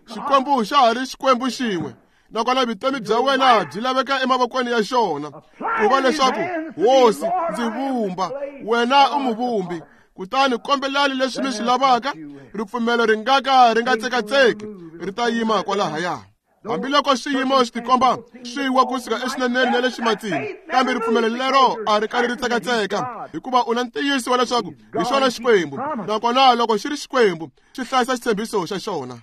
Xikwembu xa ha ri Xikwembu xin'we, nakona vutomi bya wena byi laveka emavokweni ya xona, ku va leswaku Hosi, ndzi vumba, wena u muvumbi, kutani kombelani leswi mi swi lavaka, ripfumelo ri nga ka ri nga tsekatseki, ri ta yima kwalahaya. Hambiloko swiyimo swi tikomba swi wa kusuka exineneni na le ximatsini, kambe ripfumelo lero a ri kali ri tsekatseka, hikuva u na ntiyiso wa leswaku hi xona Xikwembu, nakona loko xi ri Xikwembu, xi hlayisa xitshembiso xa xona.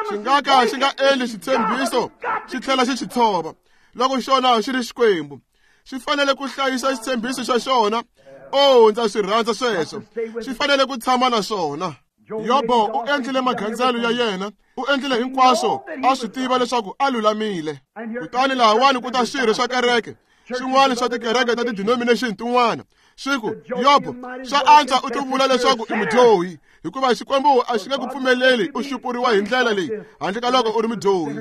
Xi nga ka xi nga endli xitshembiso xi tlhela xi xi tshova. Loko xona xi ri Xikwembu, xi fanele ku hlayisa xitshembiso xa xona. Oh, ndza swi rhandza sweswo. Xi fanele ku tshama na swona. Yobo u endlile magandzelo ya yena, u endlile hinkwaswo a swi tiva leswaku a lulamile. Kutani lahawani ku ta swirho swa kereke, swin'wana swa tikereke ta ti-denomination tin'wana, swi ku, Yobo, swa antswa u tivula leswaku i mudyohi, hikuva Xikwembu a xi nge ku pfumeleli u xupuriwa hi ndlela leyi handle ka loko u ri mudyohi.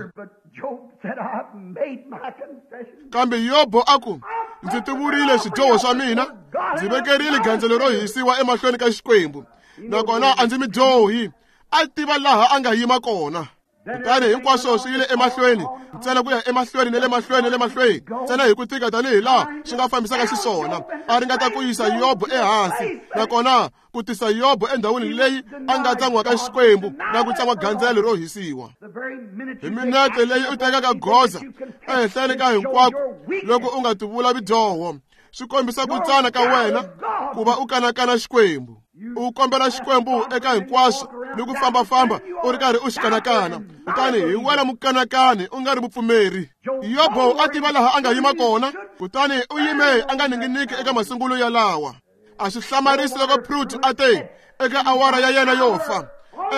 Kambe Yobo a ku, ndzi tivurile swidyoho swa mina, ndzi vekerile gandzelo ro hisiwa emahlweni ka Xikwembu, nakona a ndzi mudyohi. A tiva laha a nga yima kona. Kutani hinkwaswo swi yile emahlweni, ntsena ku ya emahlweni na le mahlweni na le mahlweni, ntsena hi ku tika tanihi laha swi nga fambisaka xiswona. A ringeta ku yisa Yobo ehansi, nakona ku tisa Yobo endhawini leyi a nga tsan'waka Xikwembu na ku tsan'wa gandzelo ro hisiwa. Hi minete leyi u tekaka goza ehenhleni ka hinkwako loko u nga tivula vidyoho, swi kombisa ku tsana ka wena ku va u kanakana Xikwembu. U kombela Xikwembu eka hinkwaswo ni ku fambafamba u ri karhi u xi kanakana, kutani hi wena mukanakani u nga ri mupfumeri. Yobo a tiva laha a nga yima kona, kutani u yime a nga ninginiki eka masungulo ya lawa. A swi hlamarisi loko Prut a te eka awara ya yena yo fa,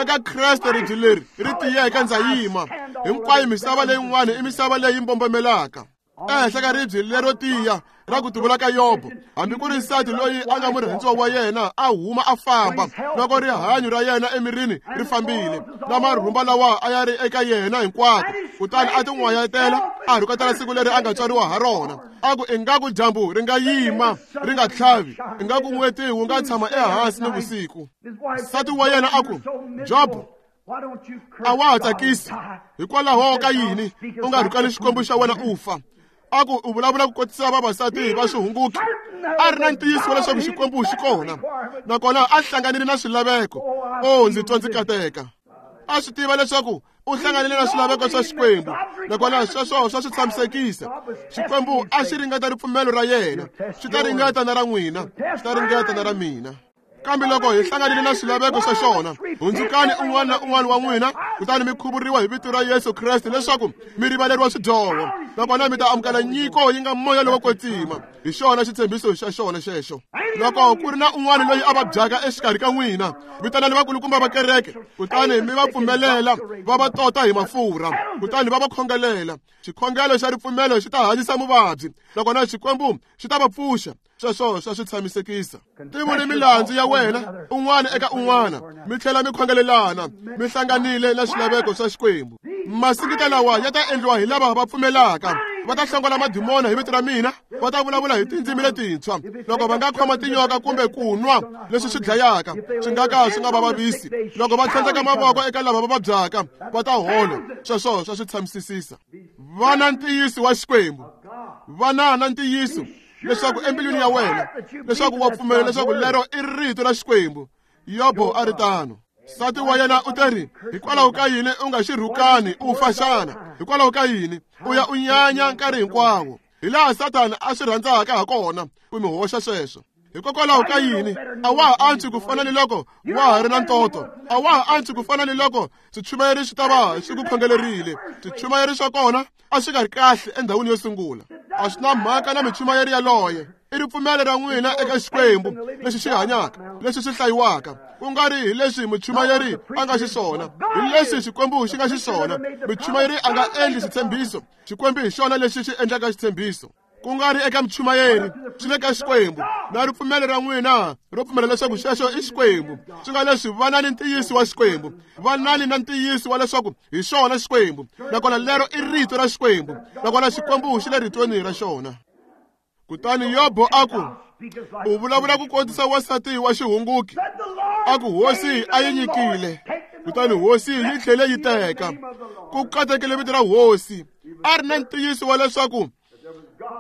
eka Kreste ribye leri ri tiyeke ndza yima, hinkwayo misava leyin'wana i misava leyi mbombomelaka. Ehenhla ka ribye lero tiya ra ku tivula ka Yobo, hambi ku ri nsati loyi a nga murhandziwa wa yena a huma a famba, loko rihanyo ra yena emirini ri fambile, na marhumba lawa a ya ri eka yena hinkwako, kutani a tin'wayetela a rhuketela siku leri a nga tswariwa ha rona, a ku ingaku dyambu ri nga yima ri nga tlhavi, ingaku n'weti wu nga tshama ehansi ni vusiku. Nsati wa yena a ku, Jobo, a wa ha tsakisi, hikwalaho ka yini u nga rhukani Xikwembu xa wena u fa? A ku u vulavula ku kotisa vavasati va swihunguki. A ri na ntiyiso wa leswaku Xikwembu xi kona, nakona a hlanganile na swilaveko. O, ndzi twa ndzi kateka. A swi tiva leswaku u hlanganile na swilaveko swa Xikwembu, nakona sweswo swa swi tshamisekisa. Xikwembu a xi ringeta ripfumelo ra yena, xi ta ringeta na ra n'wina, xi ta ringeta na ra mina. Kambe loko hi hlanganile na swilaveko swa xona, hundzukani un'wana na un'wana wa n'wina, kutani mi khuvuriwa hi vito ra Yesu Kreste leswaku mi rivaleriwa swidyoho, nakona mi ta amukela nyiko yi nga moya lowo kwetsima. Hi xona xitshembiso xa xona xexo. Loko ku ri na un'wana loyi a vabyaka exikarhi ka n'wina, vitanani vakulukumba va kereke, kutani mi va pfumelela va va tota hi mafurha, kutani va va khongelela. Xikhongelo xa ripfumelo xi ta hanyisa muvabyi, nakona Xikwembu xi ta va pfuxa. Sweswo swa swi tshamisekisa. Tivuli milandzu ya wena un'wana eka un'wana, mi tlhela mi khongelelana, mi hlanganile na swilaveko swa Xikwembu. Masingita lawa ya ta endliwa hi lava va pfumelaka. Va ta hlongola madimona hi vito ra mina, va ta vulavula hi tindzimi letintshwa. Loko va nga khoma tinyoka kumbe ku nwa leswi swi dlayaka, swi nga ka swi nga va vavisi. Loko va tlhandleka mavoko eka lava va vabyaka, va ta hola. Sweswo swa swi tshamisisisa. Va na ntiyiso wa Xikwembu. Va na ntiyiso leswaku embilwini ya wena, leswaku wa pfumela leswaku lero i rito ra Xikwembu. Yobo a ri tano. Nsati wa yena u teri, hikwalaho ka yini u nga xi rhukani u fa xana? Hikwalaho ka yini u ya u nyanya nkarhi hinkwawo? Hi laha Sathana a swi rhandzaka ha kona ku mi hoxa sweswo. Hikokwalaho ka yini a wa ha antswi ku fana ni loko wa ha ri na ntoto? A wa ha antswi ku fana ni loko swichumayeri swi ta va swi ku khongelerile? Swichumayeri swa kona a swi nga ri kahle endhawini yo sungula. A swi na mhaka na michumayeri yaloye. I ripfumelo ra n'wina eka Xikwembu lexi xi hanyaka, lexi xi hlayiwaka, ku nga ri hi leswi muchumayeri a nga xiswona, hi leswi Xikwembu xi nga xiswona. Muchumayeri a nga endli xitshembiso, Xikwembu hi xona lexi xi endlaka xitshembiso. Ku nga ri eka muchumayeri, swi le ka Xikwembu. Na ripfumelo ra n'wina ro pfumela leswaku xexo i Xikwembu, swi nga leswi vanani ntiyiso wa Xikwembu, vanani na ntiyiso wa leswaku hi xona Xikwembu, nakona lero i rito ra Xikwembu, nakona Xikwembu xi le ritweni ra xona. Kutani Yobo a ku, u vulavula ku kotisa wansati wa xihunguki. A ku hosi a yi nyikile, kutani hosi yi tlhele yi teka. Ku katekile vito ra hosi. A ri na ntiyiso wa leswaku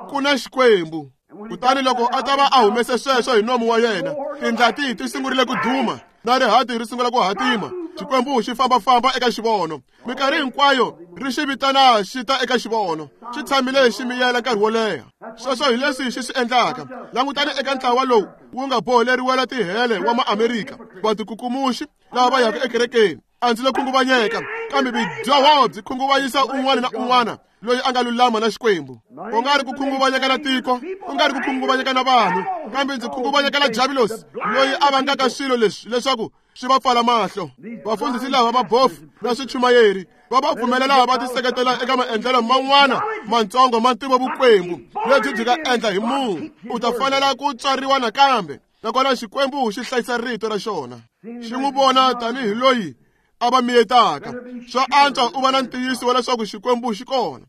ku na Xikwembu. Kutani loko a ta va a humese sweswo hi nomu wa yena, tindlati ti sungurile ku duma, na rihati ri sungula ku hatima. Xikwembu xi fambafamba eka xivono. Minkarhi hinkwayo ri xi vitana xi ta eka xivono. Xi tshamile xi miyela nkarhi wo leha. Sweswo hi leswi xi swi endlaka. Langutani eka ntlawa lowu wu nga boheleriwela tihele wa Maamerika, vatikukumuxi lava va yaka ekerekeni. A ndzi lo khunguvanyeka, kambe vudyoho byi khunguvanyisa un'wana na un'wana loyi a nga lulama na Xikwembu. U nga ri ku khunguvanyeka na tiko, u nga ri ku khunguvanyeka na vanhu, kambe ndzi khunguvanyeka na Javulosi loyi a vangaka swilo leswi leswaku swi va pfala mahlo. Vafundhisi lava va bofu na swichumayeri va va pfumelela va tiseketela eka maendlelo man'wana mantsongo ma ntivovukwembu lebyi byi nga endla hi munhu. U ta fanela ku tswariwa nakambe, nakona Xikwembu xi hlayisa rito ra xona. Xi n'wi vona tanihi loyi a va miyetaka. Swa antswa u va na ntiyiso wa leswaku Xikwembu xi kona.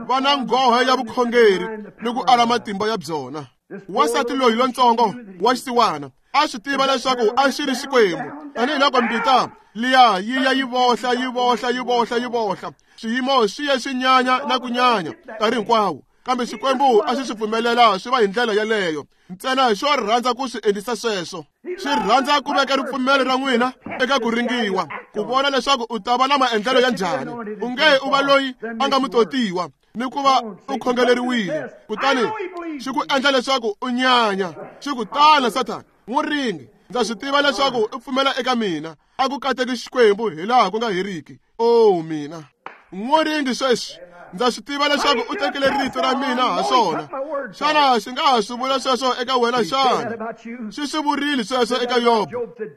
Va na nghohe ya vukhongeri ni ku ala matimba ya byona. Wansati loyi lontsongo wa xisiwana a swi tiva leswaku a xi ri Xikwembu, tanihiloko mbita liya yi ya yi vohla yi vohla yi vohla yi vohla. Swiyimo swi ye swi nyanya na ku nyanya nkarhi hinkwawo, kambe Xikwembu a xi swi pfumelela swi va hi ndlela yeleyo. Ntsena xo rhandza ku swi endlisa sweswo. Xi rhandza ku veka ripfumelo ra n'wina eka ku ringiwa, ku vona leswaku u ta va na maendlelo ya njhani. U nge u va loyi a nga mutotiwa ni ku va u khongeleriwile, kutani xi ku endla leswaku u nyanya. Xi ku, tana Sathana, n'wi ringi, ndza swi tiva leswaku u pfumela eka mina. A ku kateki Xikwembu hi laha ku nga heriki. O mina, n'wi ringi sweswi, ndza swi tiva leswaku u tekile rito ra mina ha swona. Xana xi nga ha swi vula sweswo eka wena xana? Xi swi vurile sweswo eka Yobo.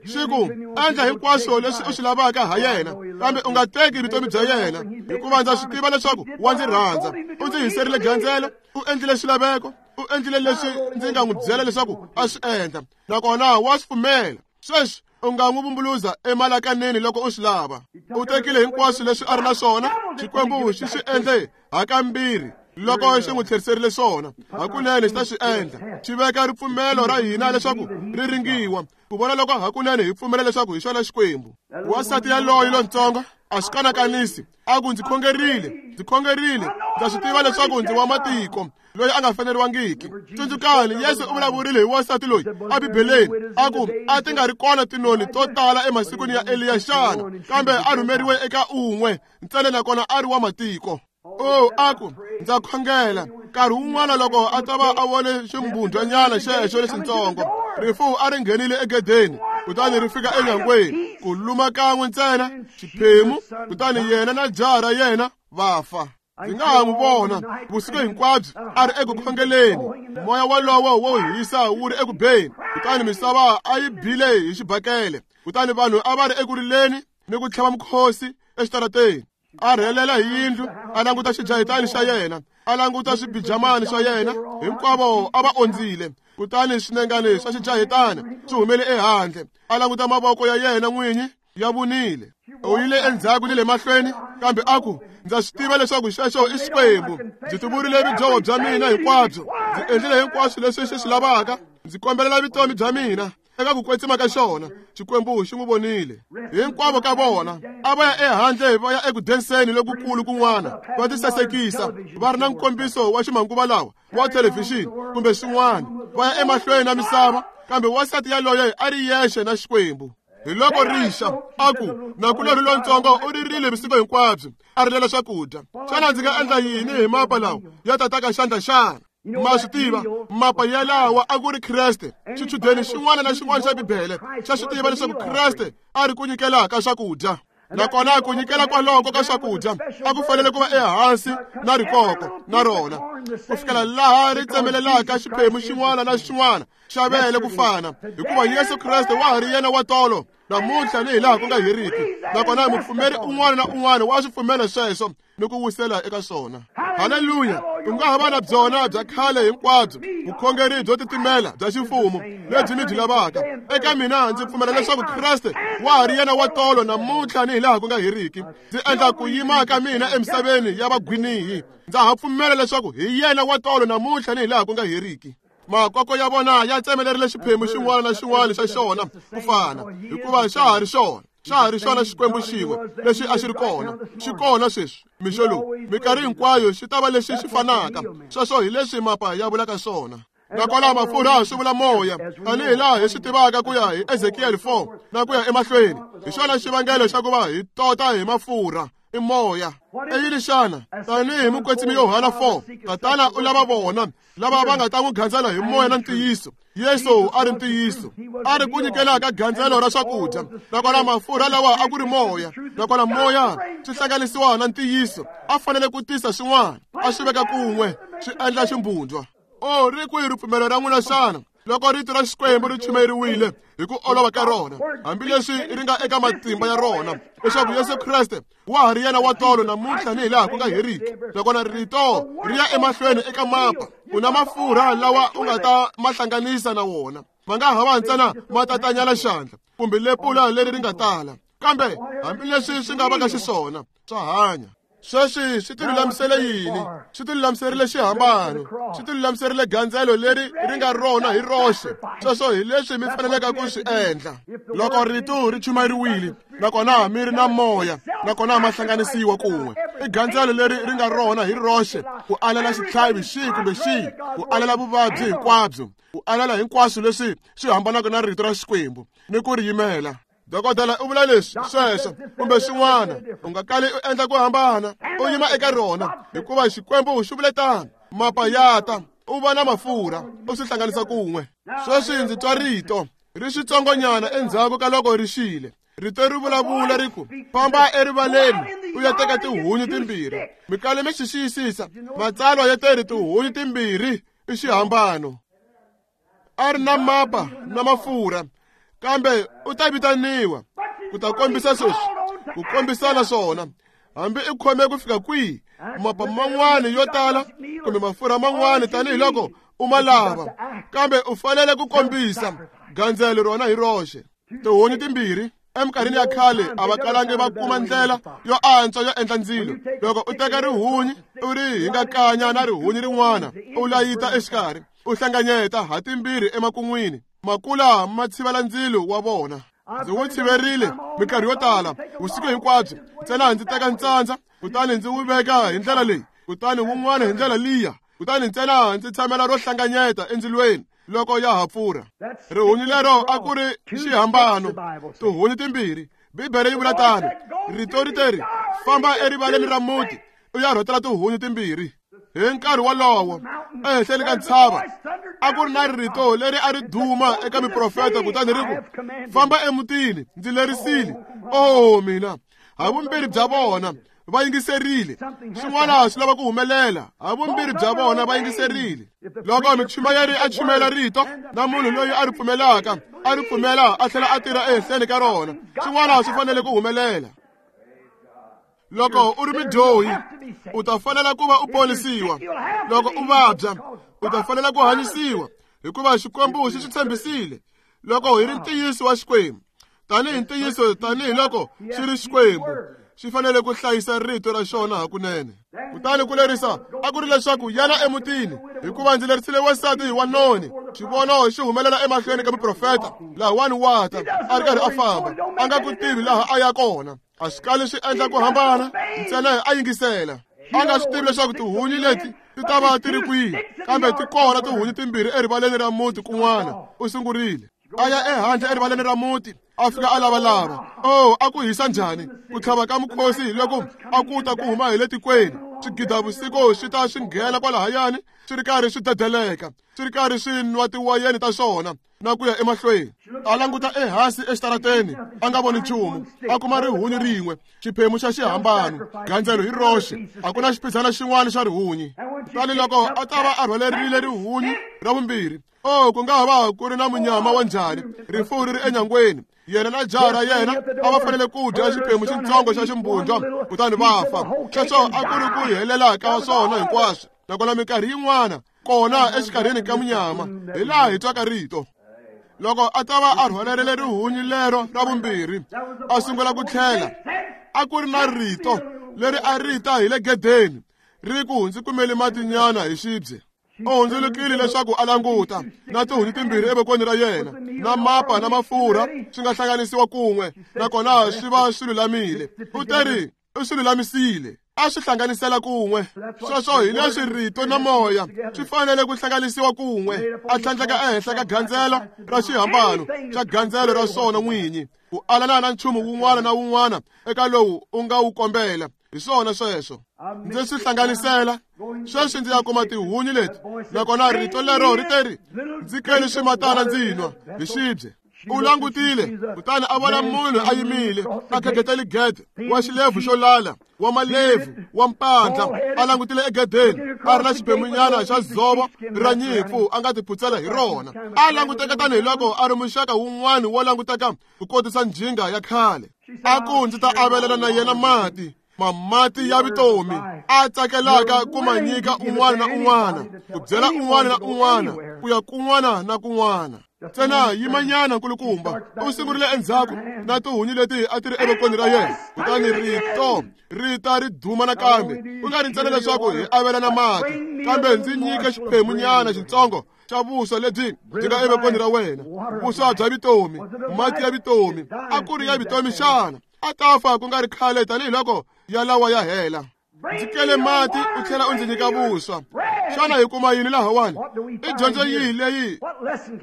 Xi ku, endla hinkwaswo leswi u swi lavaka ha yena, kambe u nga teki vutomi bya yena, hikuva ndza swi tiva leswaku wa ndzi rhandza. U ndzi hiserile gandzelo, u endlile xilaveko, u endlile leswi ndzi nga n'wi byela leswaku a swi endla, nakona wa swi pfumela. Sweswi u nga n'wi vumbuluza emalakaneni loko u swi lava. U tekile hinkwaswo leswi a ri na swona. Xikwembu xi swi endle hakambirhi loko xi n'wi tlheriserile swona. Hakunene xi ta swi endla. Xi veka ripfumelo ra hina leswaku ri ringiwa, ku vona loko hakunene hi pfumela leswaku hi xona Xikwembu. Wansati yaloye lontsongo A swi kanakanisi, a ku ndzi khongerile, ndzi khongerile, ndza swi tiva leswaku ndzi wa matiko loyi a nga faneriwangiki. Tsundzukani, Yesu u vulavurile hi wansati loyi eBibeleni, a ku a ti nga ri kona tinoni to tala emasikwini ya Eliya xana, kambe a rhumeriwe eka un'we ntsena nakona a ri wa matiko. O, a ku ndza khongela. Nkarhi wun'wana loko a ta va a vone ximbundwanyana xexo lexitsongo, rifu a ri nghenile egedeni, kutani ri fika enyangweni, ku luma kan'we ntsena xiphemu, kutani yena na jaha ra yena va fa. Ndzi nga ha n'wi vona vusiku hinkwabyo a ri eku khongeleni, moya wolowo wo hisa wu ri eku beni, kutani misava a yi bile hi xibakele, kutani vanhu a va ri eku rileni ni ku tlhava mukhosi exitarateni. A rhelela hi yindlu, a languta xijahitani xa yena, a languta swibijamani swa yena, hinkwavo a va ondzile. Kutani swinengani swa xijahitana swi humele ehandle, a languta mavoko ya yena n'winyi ya vunile. U yile endzhaku ni le mahlweni, kambe a ku ndza swi tiva leswaku xexo i Xikwembu. Ndzi tivurile vudyoho bya mina hinkwabyo, ndzi endlile hinkwaswo leswi xi swi lavaka, ndzi kombelela vutomi bya mina eka ku kwetsima ka xona. Xikwembu xi n'wi vonile. Hinkwavo ka vona a va ya ehandle va ya eku denseni lokukulu kun'wana, va tisasekisa, va ri na nkombiso wa ximanguva lawa wa thelevhixini kumbe swin'wana, va ya emahlweni na misava, kambe wansati yaloye a ri yexe na Xikwembu. Hi loko rixa, a ku nakulorhi lontsongo u ririle vusiku hinkwabyo, a rilela swakudya. Xana ndzi nga endla yini hi mapa lawa ya tataka xandla xana? Ma swi tiva, mapa yalawa a ku ri Kreste. Xichudeni xin'wana na xin'wana xa Bibele xa swi tiva leswaku Kreste a ri ku nyikelaka swakudya. Nakona ku nyikela kwaloko ka swakudya a ku fanele ku va ehansi na rikoko na rona, ku fikela laha ri tsemelelaka xiphemu xin'wana na xin'wana xa vele ku fana, hikuva Yesu Kreste wa ha ri yena wa tolo, namuntlha ni hi laha ku nga heriki. Nakona mupfumeri un'wana na un'wana wa swi pfumela sweswo ni ku wisela eka swona. Haleluya! U nga ha va na byona bya khale hinkwabyo, vukhongeri byo titimela bya ximfumo lebyi mi byi lavaka. Eka mina ndzi pfumela leswaku Kreste wa ha ri yena wa tolo, namuntlha ni hi laha ku nga heriki. Ndzi endla ku yima ka mina emisaveni ya vagwinihi, ndza ha pfumela leswaku hi yena wa tolo, namuntlha ni hi laha ku nga heriki. Makoko ya vona ya tsemelerile xiphemu xin'wana na xin'wana xa xona ku fana, hikuva xa ha ri xona, xa ha ri xona Xikwembu xin'we lexi a xi ri kona, xi kona sweswi mixo lowu, minkarhi hinkwayo xi ta va lexi xi fanaka. Sweswo hi leswi mapa ya vulaka swona. Nakona mafurha swi vula moya, tanihi laha hi swi tivaka ku ya hi Ezekiel 4 na ku ya emahlweni. Hi xona xivangelo xa ku va hi tota hi mafurha, i moya. I yini xana? Tanihi mukwetsimi Yohana 4, Tatana u lava vona lava va nga ta n'wi gandzela hi moya na ntiyiso. Yesu a ri ntiyiso, a ri ku nyikela ka gandzelo ra swakudya. Nakona mafurha lawa a ku ri moya, nakona moya swi hlanganisiwa na ntiyiso. A fanele ku tisa swin'wana, a swi veka kun'we, swi endla ximbundwa. O, ri kwihi ripfumelo ra n'wina xana? Loko rito ra Xikwembu ri chumeriwile hi ku olova ka rona, hambileswi ri nga eka matimba ya rona, leswaku Yesu Kreste wa ha ri yena wa tolo, namuntlha ni hi laha ku nga heriki. Nakona rito ri ya emahlweni eka mapa, u na mafurha lawa u nga ta ma hlanganisa na wona, ma nga ha va ntsena ma tatanyala xandla kumbe lepula leri ri nga tala, kambe hambileswi swi nga vaka xiswona, swa hanya. Sweswi swi ti lulamisele yini? Swi ti lulamiserile xihambano, swi ti lulamiserile gandzelo leri ri nga rona hi roxe. Sweswo hi leswi mi faneleke ku swi endla. Loko rito ri chumayeriwile, nakona mi ri na moya, nakona ma hlanganisiwa kun'we, i gandzelo leri ri nga rona hi roxe, ku alela xitlhavi xihi kumbe xihi, ku alela vuvabyi hinkwabyo, ku alela hinkwaswo leswi swi hambanaka na rito ra Xikwembu ni ku ri yimela. Dokodela u vula leswi sweswo kumbe swin'wana, u nga kali u endla ku hambana, u yima eka rona, hikuva Xikwembu xi vule tano. Mapa ya ta, u va na mafurha, u swi hlanganisa kun'we. Sweswi ndzi twa rito ri switsongonyana endzhaku ka loko ri xile. Rito ri vulavula ri ku, famba erivaleni u ya teka tihunyi timbirhi. Mi kale mi xi xiyisisa, matsalwa ya teri tihunyi timbirhi i xihambano. A ri na mapa na mafurha, kambe u ta vitaniwa ku ta kombisa sweswi, ku kombisana swona. Hambi i khome ku fika kwihi, mapa man'wana yo tala kumbe mafurha man'wana tanihiloko u ma lava, kambe u fanele ku kombisa gandzelo rona hi roxe. Tihunyi timbirhi eminkarhini ya khale a va kalangi va kuma ndlela yo antswa yo endla ndzilo. Loko u teka rihunyi u ri hingakanya na rihunyi rin'wana, u layita exikarhi, u hlanganyeta ha timbirhi emakun'wini, makula ma tshivela ndzilo wa vona. Ndzi wu tshiverile minkarhi yo tala vusiku hinkwabyo, ntsena ndzi teka ntsandza kutani ndzi wu veka hi ndlela leyi, kutani wun'wana hi ndlela liya, kutani ntsena ndzi tshamela ro hlanganyeta endzilweni loko ya ha pfurha. Rihunyi lero a ku ri xihambano, tihunyi timbirhi. Bibele yi vula tano. Rito ri teri, famba erivaleni ra muti u ya rhotela tihunyi timbirhi. Hi nkarhi wolowo ehenhleni ka ntshava a ku ri na rito leri a ri duma eka miprofeta, kutani ri ku, famba emutini, ndzi lerisile. Oh mina, havumbirhi bya vona va yingiserile. Swin'wana swi lava ku humelela. Havumbirhi bya vona va yingiserile. Loko muchumayeri a chumayela rito na munhu loyi a ri pfumelaka a ri pfumela a tlhela a tirha ehenhleni ka rona, swin'wana swi fanele ku humelela. Loko u ri mudyohi, u ta fanela ku va u ponisiwa. Loko u vabya, u ta fanela ku hanyisiwa, hikuva Xikwembu xi swi tshembisile. Loko hi ri ntiyiso wa Xikwembu, tanihi ntiyiso tanihiloko xi ri Xikwembu, xi fanele ku hlayisa rito ra xona hakunene. Kutani ku lerisa a ku ri leswaku yana emutini, hikuva ndzi lerisile wansati wa noni. Xivono xi humelela emahlweni ka muprofeta lahawani wa ta a ri karhi a famba, a nga ku tivi laha a ya kona. A swi kali swi endla ku hambana, ntsena a yingisela. A nga swi tivi leswaku tihunyi leti ti ta va ti ri kwihi, kambe ti kona tihunyi timbirhi erivaleni ra muti kun'wana. U sungurile a ya ehandle erivaleni ra muti, a fika a lavalava. Oh, a ku hisa njhani ku tlhava ka mukhosi loko a ku ta ku huma hi le tikweni. Swigidavusiku swi ta swi nghena kwalahayani swi ri karhi swi dedeleka, swi ri karhi swi nwa tiwayeni ta swona na ku ya emahlweni. A languta ehansi exitarateni, a nga voni nchumu. A kuma rihunyi rin'we, xiphemu xa xihambano, gandzelo hi roxe. A ku na xipizana xin'wana xa rihunyi. Kutani loko a ta va a rhwalerile rihunyi ra vumbirhi, oh, ku nga ha va ku ri na munyama wa njhani, rifu ri ri enyangweni. Yena na jaha ra yena a va fanele ku dya xiphemu xitsongo xa ximbundwa kutani va fa. Sweswo a ku ri ku helela ka swona hinkwaswo. Nakona minkarhi yin'wana kona exikarhini ka munyama hi laha hi twaka rito. Loko a ta va a rhwalerile rihunyi lero ra vumbirhi, a sungula ku tlhela, a ku ri na rito leri a ri ta hi le gedeni ri ku, ndzi kumele matinyana hi xibye. U hundzulukile leswaku a languta, na tihunyi timbirhi evokweni ra yena, na mapa na mafurha swi nga hlanganisiwa kun'we, nakona swi va swi lulamile. U teri u swi lulamisile, a swi hlanganisela kun'we. Sweswo hi leswi rito na moya swi fanele ku hlanganisiwa kun'we. A tlhandleka ehenhla ka gandzelo ra xihambano xa gandzelo ra swona n'winyi, ku alana na nchumu wun'wana na wun'wana eka lowu u nga wu kombela. Hi swona sweswo ndzi swi hlanganisela. Sweswi ndzi ya kuma tihunyi leti, nakona rito lero ri teri, ndzi kele swimatana ndzi nwa hi xibye. U langutile kutani a vona munhu a yimile a khegetele gede, wa xilebvu xo lala, wa malebvu, wa mpandla, a langutile egedeni, a ri na xiphemunyana xa dzovo ra nyimpfu a nga tiphutsela hi rona. A languteka tanihiloko a ri muxaka wun'wana wo languteka ku kotisa njhinga ya khale. A ku, ndzi ta avelana na yena mati, mamati ya vutomi, a tsakelaka ku ma nyika un'wana na un'wana, ku byela un'wana na un'wana, ku ya kun'wana na kun'wana. Ntsena yimanyana nkulukumba. U sungurile endzhaku na tihunyi leti a ti ri evokweni ra yena, kutani rito ri ta ri duma nakambe. Ku nga ri ntsena leswaku hi avelana mati, kambe ndzi nyike xiphemunyana xitsongo xa vuswa lebyi byi nga evokweni ra wena, vuswa bya vutomi, mati ya vutomi. A ku ri ya vutomi xana? A ta fa ku nga ri khale tanihiloko ya lawa ya hela. Ndzi kele mati u tlhela u ndzi nyika vuswa. Xana hi kuma yini lahawani? I dyondzo yihi leyi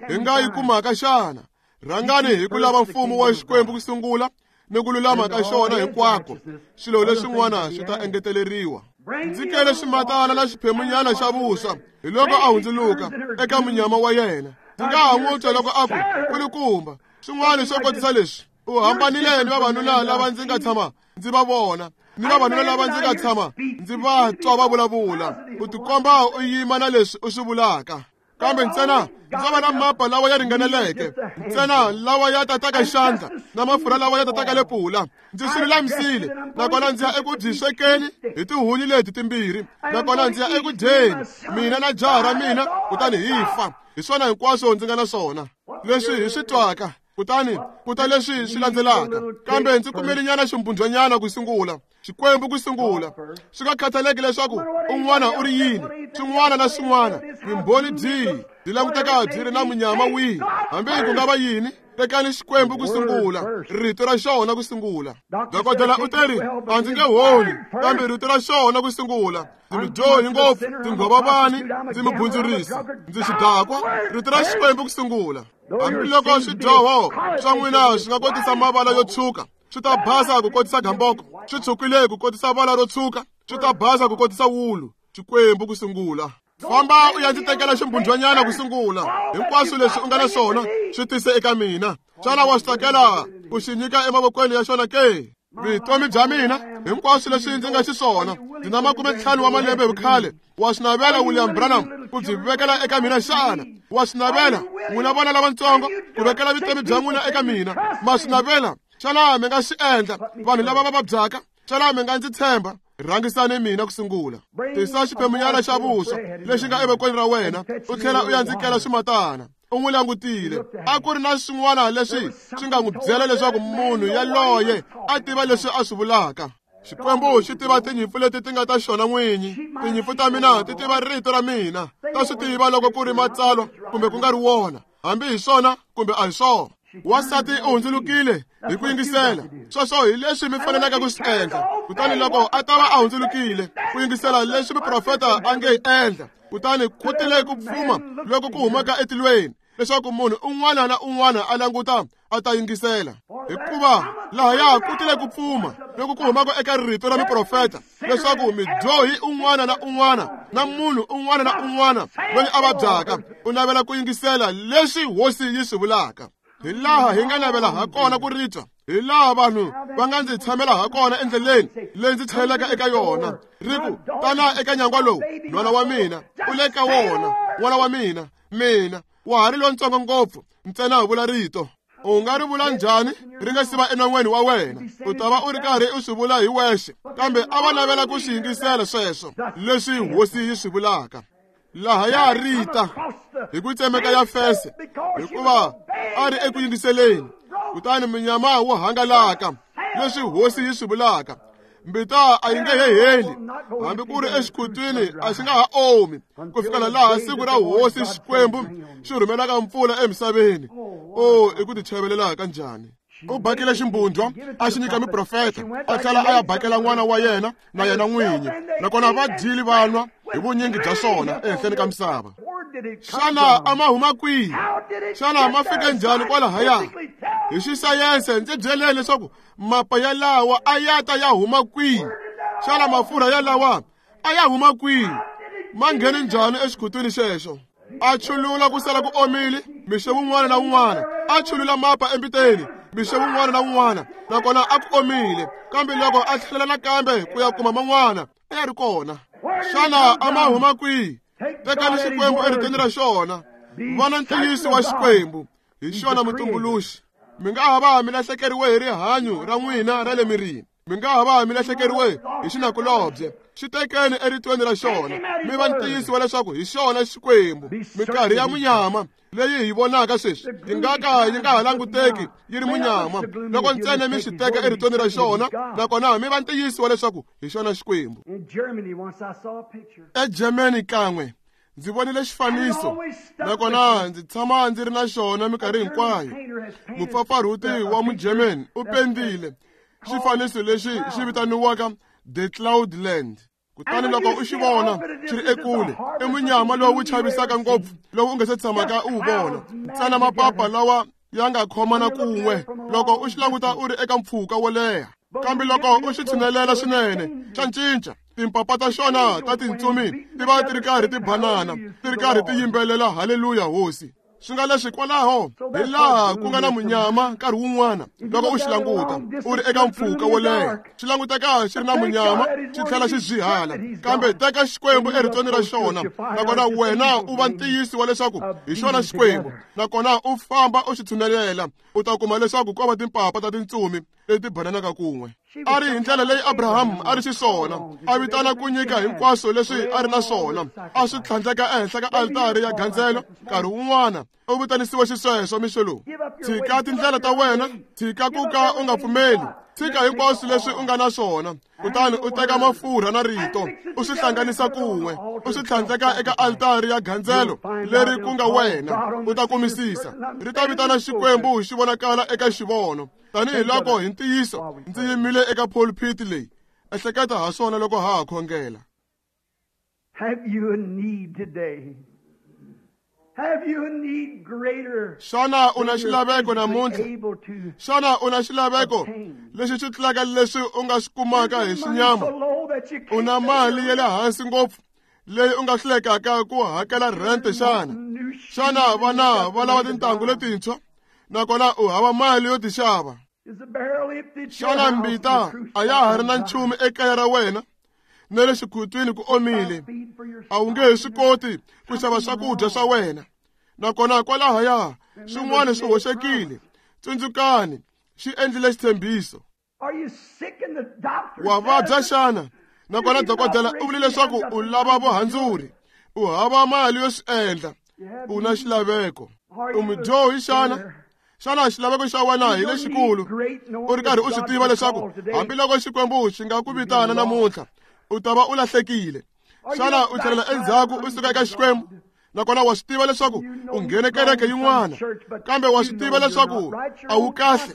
hi nga yi kumaka xana? Rhangani hi ku lava mfumo wa Xikwembu ku sungula ni ku lulama ka xona hinkwako, swilo leswin'wana swi ta engeteleriwa. Ndzi kele swimatana na xiphemunyana xa vuswa. Hi loko a hundzuluka eka munyama wa yena. Ndzi nga ha n'wi twa loko a ku, kulukumba, swin'wana swo kotisa leswi. U hambanile ni vavanuna lava ndzi nga tshama ndzi va vona, ni vavanuna lava ndzi nga tshama ndzi va twa va vulavula. U tikomba u yima na leswi u swi vulaka. Kambe ntsena ndzo va na mapa lawa ya ringaneleke, ntsena lawa ya tataka xandla na mafurha lawa ya tataka lepula. Ndzi swi lulamisile, nakona ndzi ya eku byi swekeni hi tihunyi leti timbirhi, nakona ndzi ya eku dyeni mina na jaha ra mina, kutani hi fa. Hi swona hinkwaswo ndzi nga na swona leswi hi swi twaka. Kutani ku ta leswi swi landzelaka. Kambe ndzi kumelenyana ximbundzwanyana ku sungula, Xikwembu ku sungula. Swi nga khathaleki leswaku un'wana u ri yini, swin'wana na swin'wana, vumbhoni byihi byi languteka byi ri na munyama wihi, hambi ku nga va yini, Tekani Xikwembu ku sungula, rito ra xona ku sungula. Dokodela u teri, a ndzi nge holi, kambe rito ra xona ku sungula. Ndzi mudyohi ngopfu, ndzi nghwavavani, ndzi mubundzurisi, ndzi xidakwa. Rito ra Xikwembu ku sungula. Hambiloko swidyoho swa n'wina swi nga kotisa mavala yo tshwuka, swi ta basa ku kotisa gamboko. Swi tshwukile ku kotisa vala ro tshwuka, swi ta basa ku kotisa wulu. Xikwembu ku sungula. Famba u ya ndzi tekela ximbundzwanyana ku sungula. Hinkwaswo leswi u nga na swona swi tise eka mina. Xana wa swi tsakela ku xi nyika emavokweni ya xona ke? Vutomi bya mina hinkwaswo leswi ndzi nga xiswona, ndzi na 50 wa malembe hi vukhale. Wa swi navela, William Branham, ku byi vekela eka mina xana? Wa swi navela, n'wina vana lavatsongo, ku vekela vutomi bya n'wina eka mina? Ma swi navela? Xana mi nga swi endla, vanhu lava va vabyaka? Xana mi nga ndzi tshemba? Rhangisani mina ku sungula. Tisa xiphemunyana xa vuswa lexi nga evokweni ra wena, u tlhela u ya ndzi kela swimatana. U n'wi langutile. A ku ri na swin'wana leswi swi nga n'wi byela leswaku munhu yaloye a tiva leswi a swi vulaka. Xikwembu xi tiva tinyimpfu leti ti nga ta xona n'winyi. Tinyimpfu ta mina ti tiva rito ra mina. Ta swi tiva loko ku ri matsalwa kumbe ku nga ri wona, hambi hi swona kumbe a hi swona. Wansati u hundzulukile hi ku yingisela. Sweswo hi leswi mi faneleke ku swi endla. Kutani loko a ta va a hundzulukile ku yingisela leswi muprofeta a nge endla, kutani ku tile ku pfuma loko ku humaka etilweni, leswaku munhu un'wana na un'wana a languta a ta yingisela. Hikuva lahaya ku tile ku pfuma loko ku humaka eka rito ra muprofeta, leswaku midyohi un'wana na un'wana na munhu un'wana na un'wana loyi a vabyaka u navela ku yingisela leswi hosi yi swi vulaka. Hi laha hi nga navela ha kona ku ri twa, hi laha vanhu va nga ndzi tshamela ha kona endleleni leyi ndzi tlhelelaka eka yona, ri ku, tana eka nyangwa lowu, nhwana wa mina, u le ka wona, n'wana wa mina, mina, wa ha ri lontsongo ngopfu, ntsena vula rito. U nga ri vula njhani ri nga si va enon'weni wa wena? U ta va u ri karhi u swi vula hi wexe. Kambe a va navela ku swi yingisela sweswo leswi hosi yi swi vulaka. Lahaya rita hi ku tsemeka ya fese, hikuva a ri eku yingiseleni. Kutani munyama wu hangalaka leswi hosi yi swi vulaka. Mbita a yi nge he heli, hambi ku ri exikhutwini a xi nga ha omi, ku fikela laha siku ra hosi Xikwembu xi rhumelaka mpfula emisaveni. O, i ku tichavelela kanjhani! U bakile ximbundzwa a xi nyika muprofeta, a tlhela a ya bakela n'wana wa yena na yena n'winyi, nakona va dyile va nwa hi vunyingi bya swona ehenhleni ka misava. Xana a ma huma kwihi? Xana ma fike njhani kwalahaya? Hi xisayense ndzi byeleni leswaku mapa ya lawa a ya ta ya huma kwihi? Xana mafurha ya lawa a ya huma kwihi? Ma nghene njhani exikhutwini xexo? A chulula ku sala ku omile mixo wun'wana na wun'wana, a chulula mapa embiteni mixo wun'wana na wun'wana, nakona a ku omile. Kambe loko a tlhelela nakambe ku ya kuma man'wana, a ya ri kona. Xana a ma huma kwihi? Tekani Xikwembu eritweni ra xona. Vana ntiyiso wa Xikwembu, hi xona mutumbuluxi. Mi nga ha va mi lahlekeriwe hi rihanyo ra n'wina ra le mirini, mi nga ha va mi lahlekeriwe hi xinakulobye, xi tekeni eritweni ra xona, mi va ntiyiso wa leswaku hi xona Xikwembu. Minkarhi ya munyama leyi hi vonaka sweswi yi nga ka yi nga ha languteki yi ri munyama loko ntsena mi xi teka eritweni ra xona, nakona mi va ntiyiso wa leswaku hi xona Xikwembu. EGermany kan'we ndzi vonile xifaniso, nakona ndzi tshama ndzi ri na xona minkarhi hinkwayo. Mupfapfarhuti wa Mugerman u pendile xifaniso lexi xi vitaniwaka The Cloudland. Kutani loko u xi vona xi ri ekule, i munyama lowu chavisaka ngopfu lowu u nga se tshamaka u wu vona, ntsena mapapa lawa ya nga khomana kun'we loko u xi languta u ri eka mpfhuka wo leha. Kambe loko u xi tshinelela swinene, xa cinca. Timpapa ta xona ta tintsumi ti va ti ri karhi ti banana, ti ri karhi ti yimbelela haleluya hosi. Swi nga leswi kwalaho hi laha ku nga na munyama nkarhi wun'wana loko u xi languta u ri eka mpfhuka wo leha, xi languteka xi ri na munyama xi tlhela xi zwihala. Kambe teka Xikwembu eritweni ra xona, nakona wena u va ntiyiso wa leswaku hi xona Xikwembu, nakona u famba u xi tshunelela, u ta kuma leswaku ko va timpapa ta tintsumi leti bananaka kun'we. A ri hi ndlela leyi Abraham a ri xiswona, a vitana ku nyika hinkwaswo leswi a ri na swona, a swi tlhandleka ehenhla ka altari ya gandzelo. Nkarhi wun'wana u vitanisiwe xisweswo mixo lowu. Tshika tindlela ta wena, tshika ku ka u nga pfumeli, Tshika hinkwaswo leswi u nga na swona, kutani u teka mafurha na rito, u swi hlanganisa kun'we, u swi tlhandleka eka altari ya gandzelo leri ku nga wena, u ta kumisisa. Ri ta vitana Xikwembu xi vonakala eka xivono. Tanihi loko hi ntiyiso ndzi yimile eka pulpit leyi, ehleketa ha swona loko ha ha khongela. Have you a need today? Have you a need greater? Xana u na xilaveko namuntlha? Xana u na xilaveko lexi xi tlulaka leswi u nga swi kumaka hi xinyama? U na mali ya le hansi ngopfu leyi u nga hlulekaka ku hakela rent xana? Xana vana va lava tintangu letintshwa nakona u hava mali yo ti xava? Xana mbita a ya ha ri na nchumu ekaya ra wena? Na le xikhutwini ku omile, a wu nge he swi koti ku xava swakudya swa wena, nakona kwalahaya swin'wana swi hoxekile. Tsundzukani, xi endlile xitshembiso. Wa vabya xana? Nakona dokodela u vule leswaku u lava vuhandzuri, u hava mali yo swi endla, u na xilaveko. U mudyohi xana? Xana xilaveko xa wena hi lexikulu? U ri karhi u swi tiva leswaku hambiloko Xikwembu xi nga ku vitana namuntlha, u ta va u lahlekile. Xana u tlhelela endzhaku u suka eka Xikwembu? Nakona wa swi tiva leswaku u nghene kereke yin'wana, kambe wa swi tiva leswaku a wu kahle.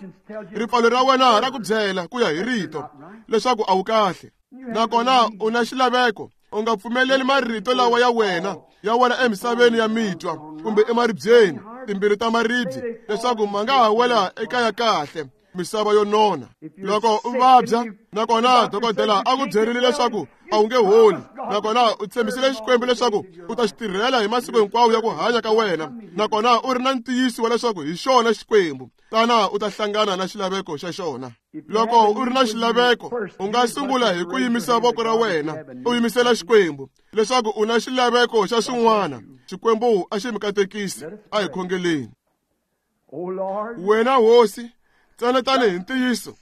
Ripfalo ra wena ra ku byela ku ya hi rito leswaku a wu kahle. Nakona u na xilaveko. U nga pfumeleli marito lawa ya wena ya wela emisaveni ya mitwa kumbe emaribyeni, timbilu ta maribye, leswaku ma nga ha wela eka ya kahle misava yo nona. Loko u vabya nakona dokodela a ku byerile leswaku a wu nge holi, nakona u tshembisile Xikwembu leswaku u ta xi tirhela hi masiku hinkwawo ya ku hanya ka wena, nakona u ri na ntiyiso wa leswaku hi xona Xikwembu, tana u ta hlangana na xilaveko xa xona. Loko u ri na xilaveko, u nga sungula hi ku yimisa voko ra wena u yimisela Xikwembu leswaku u na xilaveko xa swin'wana. Xikwembu a xi mi katekisi. A hi khongeleni. Wena Hosi, ntsena tanihi ntiyiso,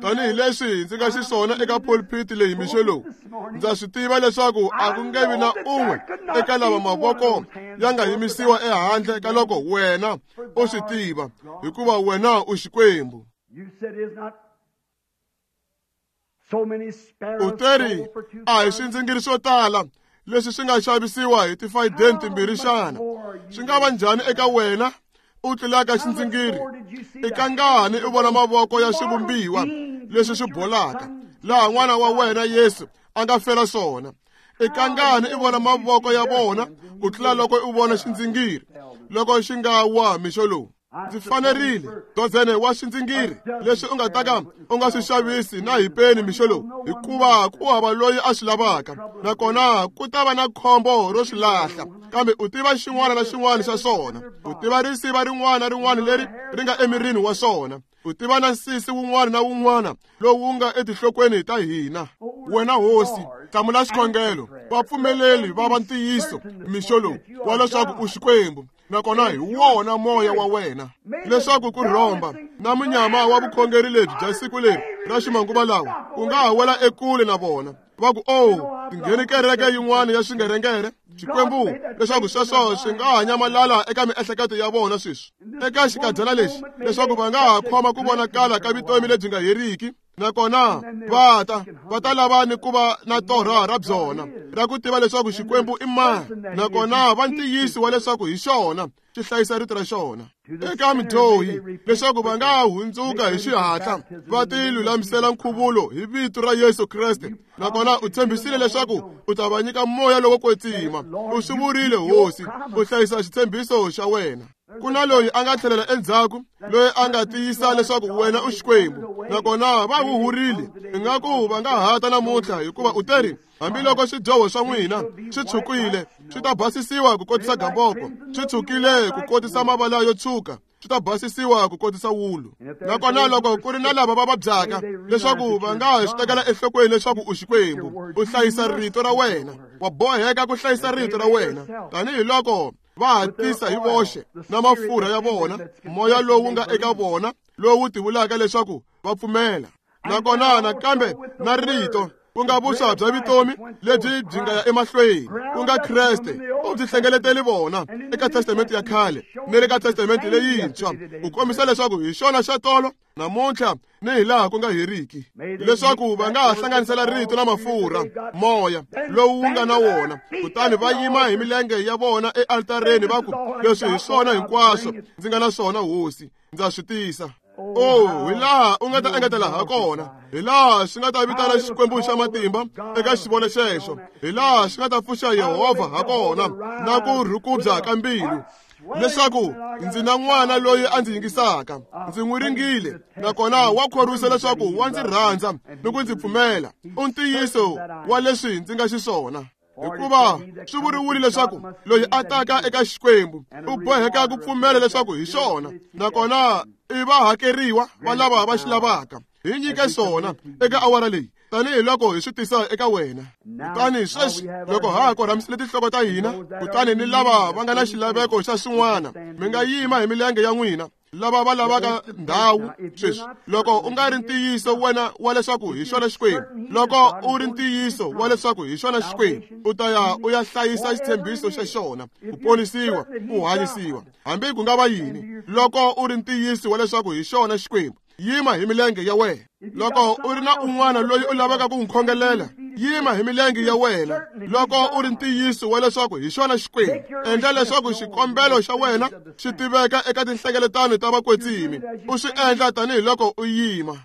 tanihileswi ndzi nga xiswona eka pulpit leyi mixo lowu, ndza swi tiva leswaku a ku nge vi na un'we eka lava mavoko ya nga yimisiwa ehandle ka loko wena u swi tiva, hikuva wena u Xikwembu. U teri a hi swindzingiri swo tala leswi swi nga xavisiwa hi tifayideni timbirhi xana? Swi nga va njhani eka wena u tlulaka xindzingiri? I kangani u vona mavoko ya swivumbiwa leswi swi bolaka laha n'wana wa wena Yesu a nga fela swona? I kangani u vona mavoko ya vona ku tlula loko u vona xindzingiri loko xi nga wa mixo lowu? Ndzi fanerile dozene wa swindzingiri leswi u nga ta ka u nga swi xavisi na hi peni mixo lowu, hikuva ku hava loyi a swi lavaka, nakona ku ta va na khombo ro swi lahla. Kambe u tiva xin'wana na xin'wana xa swona, u tiva risiva rin'wana na rin'wana leri ri nga emirini wa swona, u tiva na nsisi wun'wana na wun'wana lowu nga etinhlokweni ta hina. Wena Hosi, hlamula xikhongelo, va pfumeleli va va ntiyiso mixo lowu wa leswaku u Xikwembu, nakona hi wona moya wa wena, leswaku ku rhomba na munyama wa vukhongeri lebyi bya siku leri ra ximanguva lawa ku nga ha wela ekule na vona. Va ku, "Oh, tingheni kereke yin'wana ya swingerengere." Xikwembu, leswaku sweswo swi nga ha nyamalala eka miehleketo ya vona sweswi eka xikadyana lexi, leswaku va nga ha khoma ku vonakala ka vutomi lebyi nga heriki, nakona va ta lava ni ku va na torha ra byona ra ku tiva leswaku Xikwembu i mani, nakona va ntiyiso wa leswaku hi xona xi hlayisa rito ra xona. Eka midyohi, leswaku va nga hundzuka hi xihatla va ti lulamisela nkhuvulo hi vito ra Yesu Kreste, nakona u tshembisile leswaku u ta va nyika moya lowo kwetsima. U swi vurile Hosi, u hlayisa xitshembiso xa wena. Ku na loyi a nga tlhelela endzhaku, loyi a nga tiyisa leswaku wena u Xikwembu, nakona va huhurile. Ingaku va nga hata namuntlha, hikuva u teri, hambiloko swidyoho swa n'wina swi tshukile, swi ta basisiwa ku kotisa gamboko, swi tshukile ku kotisa mavala yo tshuka, swi ta basisiwa ku kotisa wulu. Nakona loko ku ri na lava va vabyaka, leswaku va nga swi tekela enhlokweni leswaku u Xikwembu, u hlayisa rito ra wena, wa boheka ku hlayisa rito ra wena, tanihiloko va hatisa hi voxe na mafurha ya vona, moya lowu nga eka vona lowu tivulaka leswaku va pfumela. Nakona nakambe na rito ku nga vuswa bya vutomi lebyi byi nga ya emahlweni, ku nga Kreste. U byi hlengeletele vona eka testamente ya khale ni le ka testamente leyintshwa, ku kombisa leswaku hi xona xa tolo namuntlha ni hi laha ku nga heriki, leswaku va nga ha hlanganisela rito na mafurha moya lowu wu nga na wona, kutani va yima hi milenge ya vona ealtareni va ku, leswi hi swona hinkwaswo ndzi nga na swona Hosi, ndza swi tisa. Oh, hi laha u nga ta engetela ha kona, hi laha swi nga ta vitana Xikwembu xa matimba eka xivono xexo, hi laha swi nga ta pfuxa Yehovha ha kona na ku rhukubya ka mbilu, leswaku ndzi na n'wana loyi a ndzi yingisaka, ndzi n'wi ringile, nakona wa khorwisa leswaku wa ndzi rhandza ni ku ndzi pfumela. U ntiyiso wa leswi ndzi nga xiswona. Hikuva swi vuriwile leswaku loyi a taka eka Xikwembu u boheka ku pfumela leswaku hi xona, nakona i va hakeriwa va lava va xi lavaka. Hi nyike swona eka awara leyi, tanihiloko hi swi tisa eka wena. Kutani sweswi loko ha ha korhamisile tinhloko ta hina, kutani ni lava va nga na xilaveko xa swin'wana, mi nga yima hi milenge ya n'wina. Lava va lavaka ndhawu sweswi, loko u nga ri ntiyiso wena wa leswaku hi xona Xikwembu, loko u ri ntiyiso wa leswaku hi xona Xikwembu, u ta ya u ya hlayisa xitshembiso xa xona, ku ponisiwa, ku hanyisiwa, hambi ku nga va yini. Loko u ri ntiyiso wa leswaku hi xona Xikwembu, yima hi milenge ya wena. Loko u ri na un'wana loyi u lavaka ku n'wi khongelela, yima hi milenge ya wena. Loko u ri ntiyiso wa leswaku hi xona Xikwembu, endla leswaku xikombelo xa wena xi tiveka eka tinhlengeletano ta vakwetsimi, u swi endla tanihiloko u yima.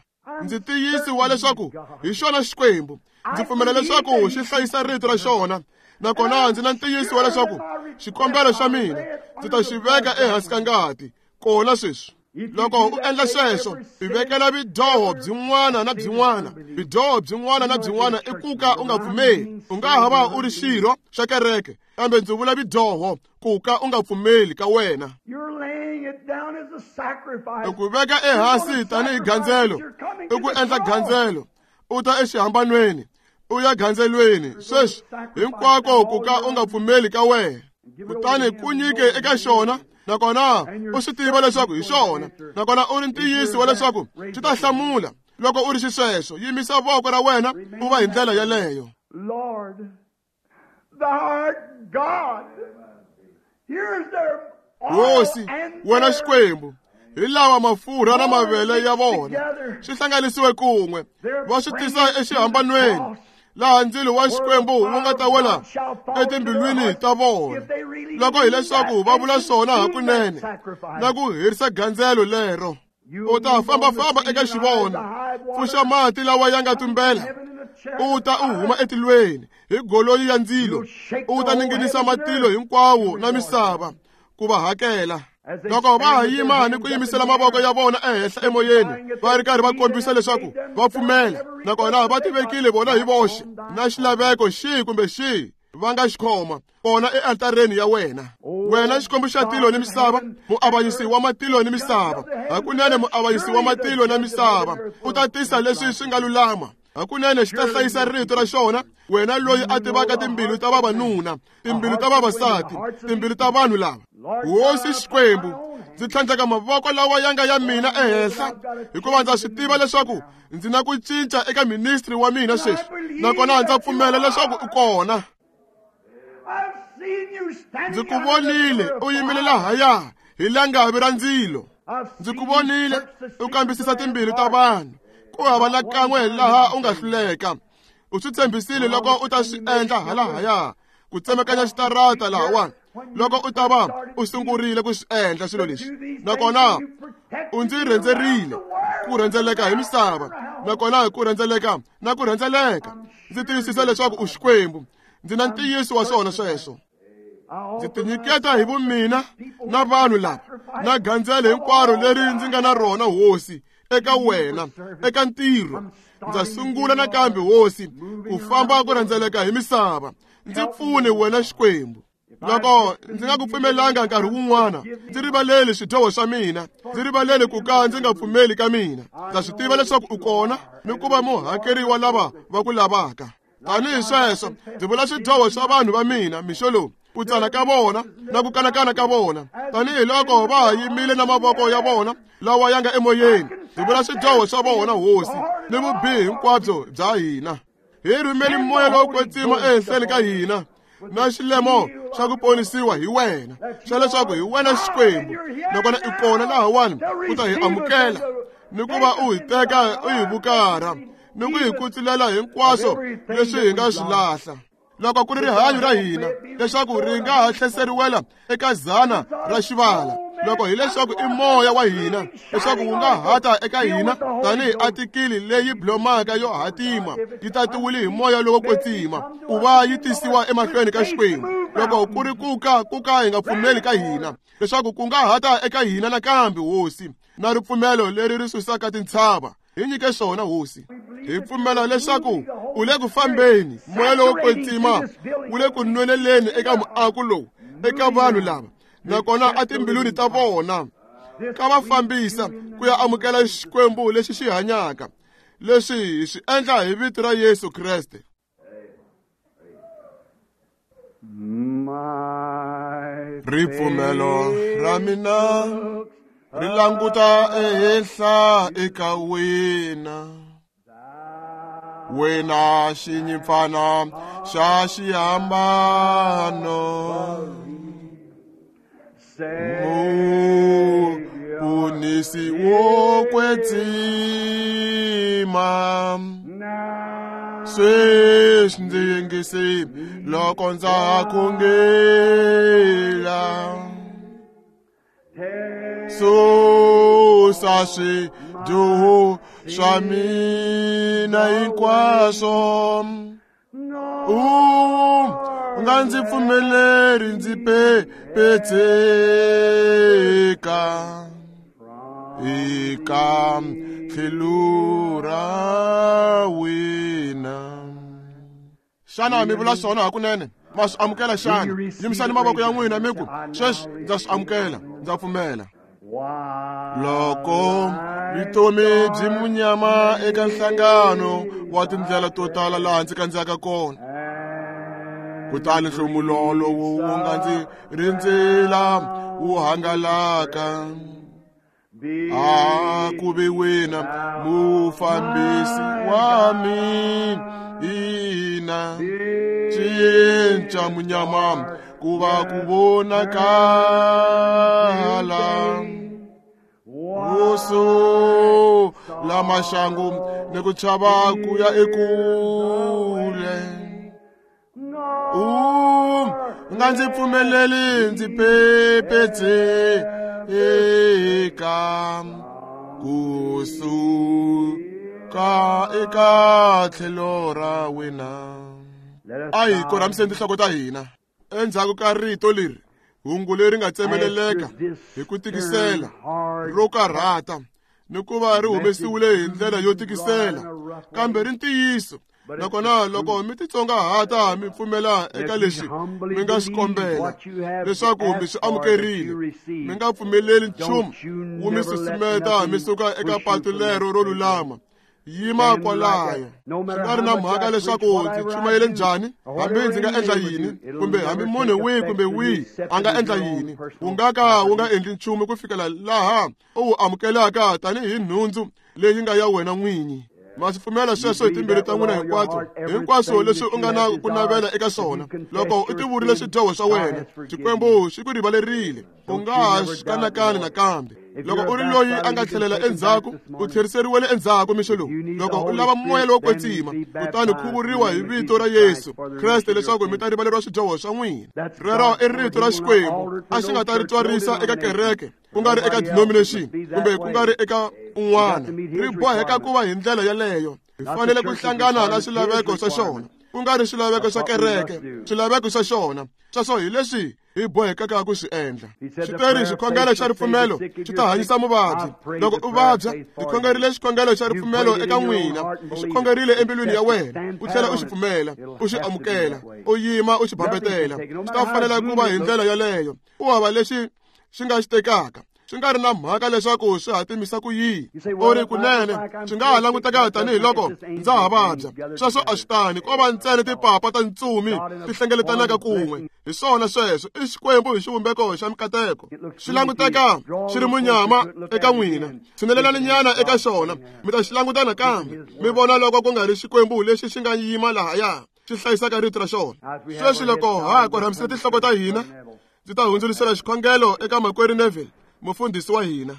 Ndzi tiyisi wa leswaku hi xona Xikwembu, ndzi pfumela leswaku xi hlayisa rito ra xona, nakona ndzi na ntiyiso wa leswaku xikombelo xa mina ndzi ta xi veka ehansi ka ngati kona sweswi. Loko u endla sweswo, u vekela vudyoho byin'wana na byin'wana. Vudyoho byin'wana na byin'wana i ku ka u nga pfumeli. U nga ha va u ri xirho xa kereke, kambe ndzi vula vudyoho ku ka u nga pfumeli ka wena. I ku veka ehansi tanihi gandzelo, i ku endla gandzelo, u ta exihambanweni, u ya gandzelweni sweswi hinkwako ku ka u nga pfumeli ka wena. Kutani ku nyike eka xona, nakona u swi tiva leswaku hi xona, nakona u ri ntiyiso wa leswaku xi ta hlamula. Loko u ri xisweswo, yimisa voko ra wena u va hi ndlela yeleyo. Hosi, wena Xikwembu, hi lawa mafurha na mavele ya vona swi hlanganisiwe kun'we, va swi tisa exihambanweni, laha ndzilo wa Xikwembu wu nga ta wela etimbilwini ta vona, loko hileswaku va vula swona hakunene na ku herisa gandzelo lero. U ta fambafamba eka xivono, pfuxa mati lawa ya nga tumbela, u ta u huma etilweni hi goloi ya ndzilo, u ta ninginisa matilo hinkwawo na misava ku va hakela. Loko va ha yima ni ku yimisela mavoko ya vona ehenhla emoyeni, va ri karhi va kombisa leswaku va pfumela, nakona va tivekile vona hi voxe na xilaveko xihi kumbe xihi va nga xi khoma kona ealtareni ya wena. Wena Xikwembu xa tilo ni misava, muavanyisi wa matilo ni misava, hakunene muavanyisi wa matilo na misava, u ta tisa leswi swi nga lulama. Hakunene xi ta hlayisa rito ra xona, wena loyi a tivaka timbilu ta vavanuna, timbilu ta vavasati, timbilu ta vanhu lava. Hosi Xikwembu, ndzi tlhandleka mavoko lawa ya nga ya mina ehenhla, hikuva ndza swi tiva leswaku ndzi na ku cinca eka ministry wa mina sweswi, nakona ndza pfumela leswaku u kona. Ndzi ku vonile u yimile lahaya hi langavi ra ndzilo. Ndzi ku vonile u kambisisa timbilu ta vanhu, ku hava na kan'we laha u nga hluleka. U swi tshembisile loko u ta swi endla halahaya, ku tsemakanya xitarata lahawani, loko u ta va u sungurile ku swi endla swilo leswi, nakona u ndzi rhendzerile ku rhendzeleka hi misava, nakona ku rhendzeleka na ku rhendzeleka, ndzi tiyisisa leswaku u Xikwembu. Ndzi na ntiyiso wa swona sweswo. Ndzi tinyiketa hi vumina na vanhu lava na gandzelo hinkwaro leri ndzi nga na rona, Hosi, eka wena, eka ntirho. Ndza sungula nakambe, Hosi, ku famba ku rhendzeleka hi misava. Ndzi pfune wena Xikwembu. Loko ndzi nga ku pfumelanga nkarhi wun'wana, ndzi rivaleli swidyoho swa mina, ndzi rivaleli ku ka ndzi nga pfumeli ka mina. Ndza swi tiva leswaku u kona ni ku va muhakeri wa lava va ku lavaka. Tanihi sweswo, ndzi vula swidyoho swa vanhu va mina mixo lowu, ku tsana ka vona na ku kanakana ka vona, tanihiloko va ha yimile na mavoko ya vona lawa ya nga emoyeni. Ndzi vula swidyoho swa vona, Hosi, ni vubihi hinkwabyo bya hina. Hi rhumeli moya lowo kwetsima ehenhleni ka hina na xilemo xa ku ponisiwa hi wena, xa leswaku hi wena Xikwembu, nakona i kona lahawani ku ta hi amukela ni ku va u hi teka u hi vukarha ni ku hi kutsulela hinkwaswo leswi hi nga swi lahla. Loko ku ri rihanyo ra hina leswaku ri nga ha tlheseriwela eka zana ra xivala, loko hileswaku i moya wa hina leswaku wu nga hata eka hina tanihi atikili leyi blomaka yo hatima yi tatiwile hi moya lowo kwetsima ku va yi tisiwa emahlweni ka Xikwembu. Loko ku ri ku ka hi nga pfumeli ka hina leswaku ku nga hata eka hina nakambe, Hosi, na ripfumelo leri ri susaka tintshava, hi nyike swona, Hosi. Hi pfumela leswaku u le ku fambeni, moya lowo kwetsima wu le ku nweleleni eka muako lowu, eka vanhu lava, nakona etimbilwini ta vona, ka va fambisa ku ya amukela Xikwembu lexi xi hanyaka. Leswi hi swi endla hi vito ra Yesu Kreste. Ripfumelo ra mina ri languta ehenhla eka wena, wena xinyimpfana xa xihambano, Muponisi wo kwetsima. Sweswi ndzi yingise loko ndza khongela, susa swidyoho swa mina hinkwaswo, u nga ndzi pfumeleri ndzi pepetseka eka tlhelo ra wena. Xana mi vula swona hakunene? Ma swi amukela xana? Yimisani mavoko ya n'wina mi ku, sweswi ndza swi amukela, ndza pfumela. Loko vutomi byi munyama eka nhlangano wa tindlela to tala laha ndzi kandziyaka kona, kutani nhlomulo lowu wu nga ndzi rindzela wu hangalaka, a ku ve wena mufambisi wa mina, cinca munyama ku va ku vonakala, wusu la maxangu ni ku chava ku ya ekule. U nga ndzi pfumeleli ndzi pepetseka kusuka eka tlhelo ra wena. A hi korhamiseni tinhloko ta hina. Endzhaku ka rito leri, hungu leri nga tsemeleleka hi ku tikisela ro karhata ni ku va ri humesiwile hi ndlela yo tikisela, kambe ri ntiyiso. Nakona loko mi titsongahata mi pfumela eka leswi mi nga swi kombela leswaku mi swi amukerile, mi nga pfumeleli nchumu wu mi susumeta mi suka eka patu lero ro lulama. Yima kwalayo. Swi nga ri na mhaka leswaku ndzi chumayele njhani, hambi ndzi nga endla yini, kumbe hambi munhu wihi kumbe wihi a nga endla yini, wu nga ka wu nga endli nchumu ku fikela laha u wu amukelaka tanihi nhundzu leyi nga ya wena n'winyi. Ma swi pfumela sweswo hi timbilu ta n'wina hinkwato, hinkwaswo leswi u nga na ku navela eka swona. Loko u tivurile swidyoho swa wena, Xikwembu xi ku rivalerile, u nga ha swi kanakani nakambe. Loko u ri loyi a nga tlhelela endzhaku, u tlheriseriwele endzhaku mixo lowu. Loko u lava moya lowo kwetsima, kutani khuvuriwa hi vito ra Yesu Kreste leswaku mi ta rivaleriwa swidyoho swa n'wina. Rero i rito ra Xikwembu, a xi nga ta ri twarisa eka kereke, ku nga ri eka denomination, kumbe ku nga ri eka un'wana. Ri boheka ku va hi ndlela yaleyo. Hi fanele ku hlangana na swilaveko swa xona, ku nga ri swilaveko swa kereke, swilaveko swa xona. Sweswo hi leswi hi bohekaka ku swi endla. Xi teri xikhongelo xa ripfumelo xi ta hanyisa muvabyi. Loko u vabya, ndzi khongerile xikhongelo xa ripfumelo eka n'wina, u xi khongerile embilwini ya wena, u tlhela u xi pfumela, u xi amukela, u yima u xi bambetela. Swi ta fanela ku va hi ndlela yaleyo. U hava lexi xi nga xi tekaka. Swi nga ri na mhaka leswaku swi hatimisa ku yini. U ri, kunene, swi nga ha languteka tanihiloko ndza ha vabya. Sweswo a swi tani, ko va ntsena tipapa ta ntsumi ti hlengeletanaka kun'we. Hi swona sweswo, i Xikwembu hi xivumbeko xa mikateko. Swi languteka swi ri munyama eka n'wina. Tshinelelani nyana eka xona, mi ta xi languta nakambe, mi vona loko ku nga ri Xikwembu lexi xi nga yima lahaya, xi hlayisaka rito ra xona. Sweswi loko ha korhamisile tinhloko ta hina, ndzi ta hundzulisela xikhongelo eka makwerhu Neville, mufundhisi wa hina.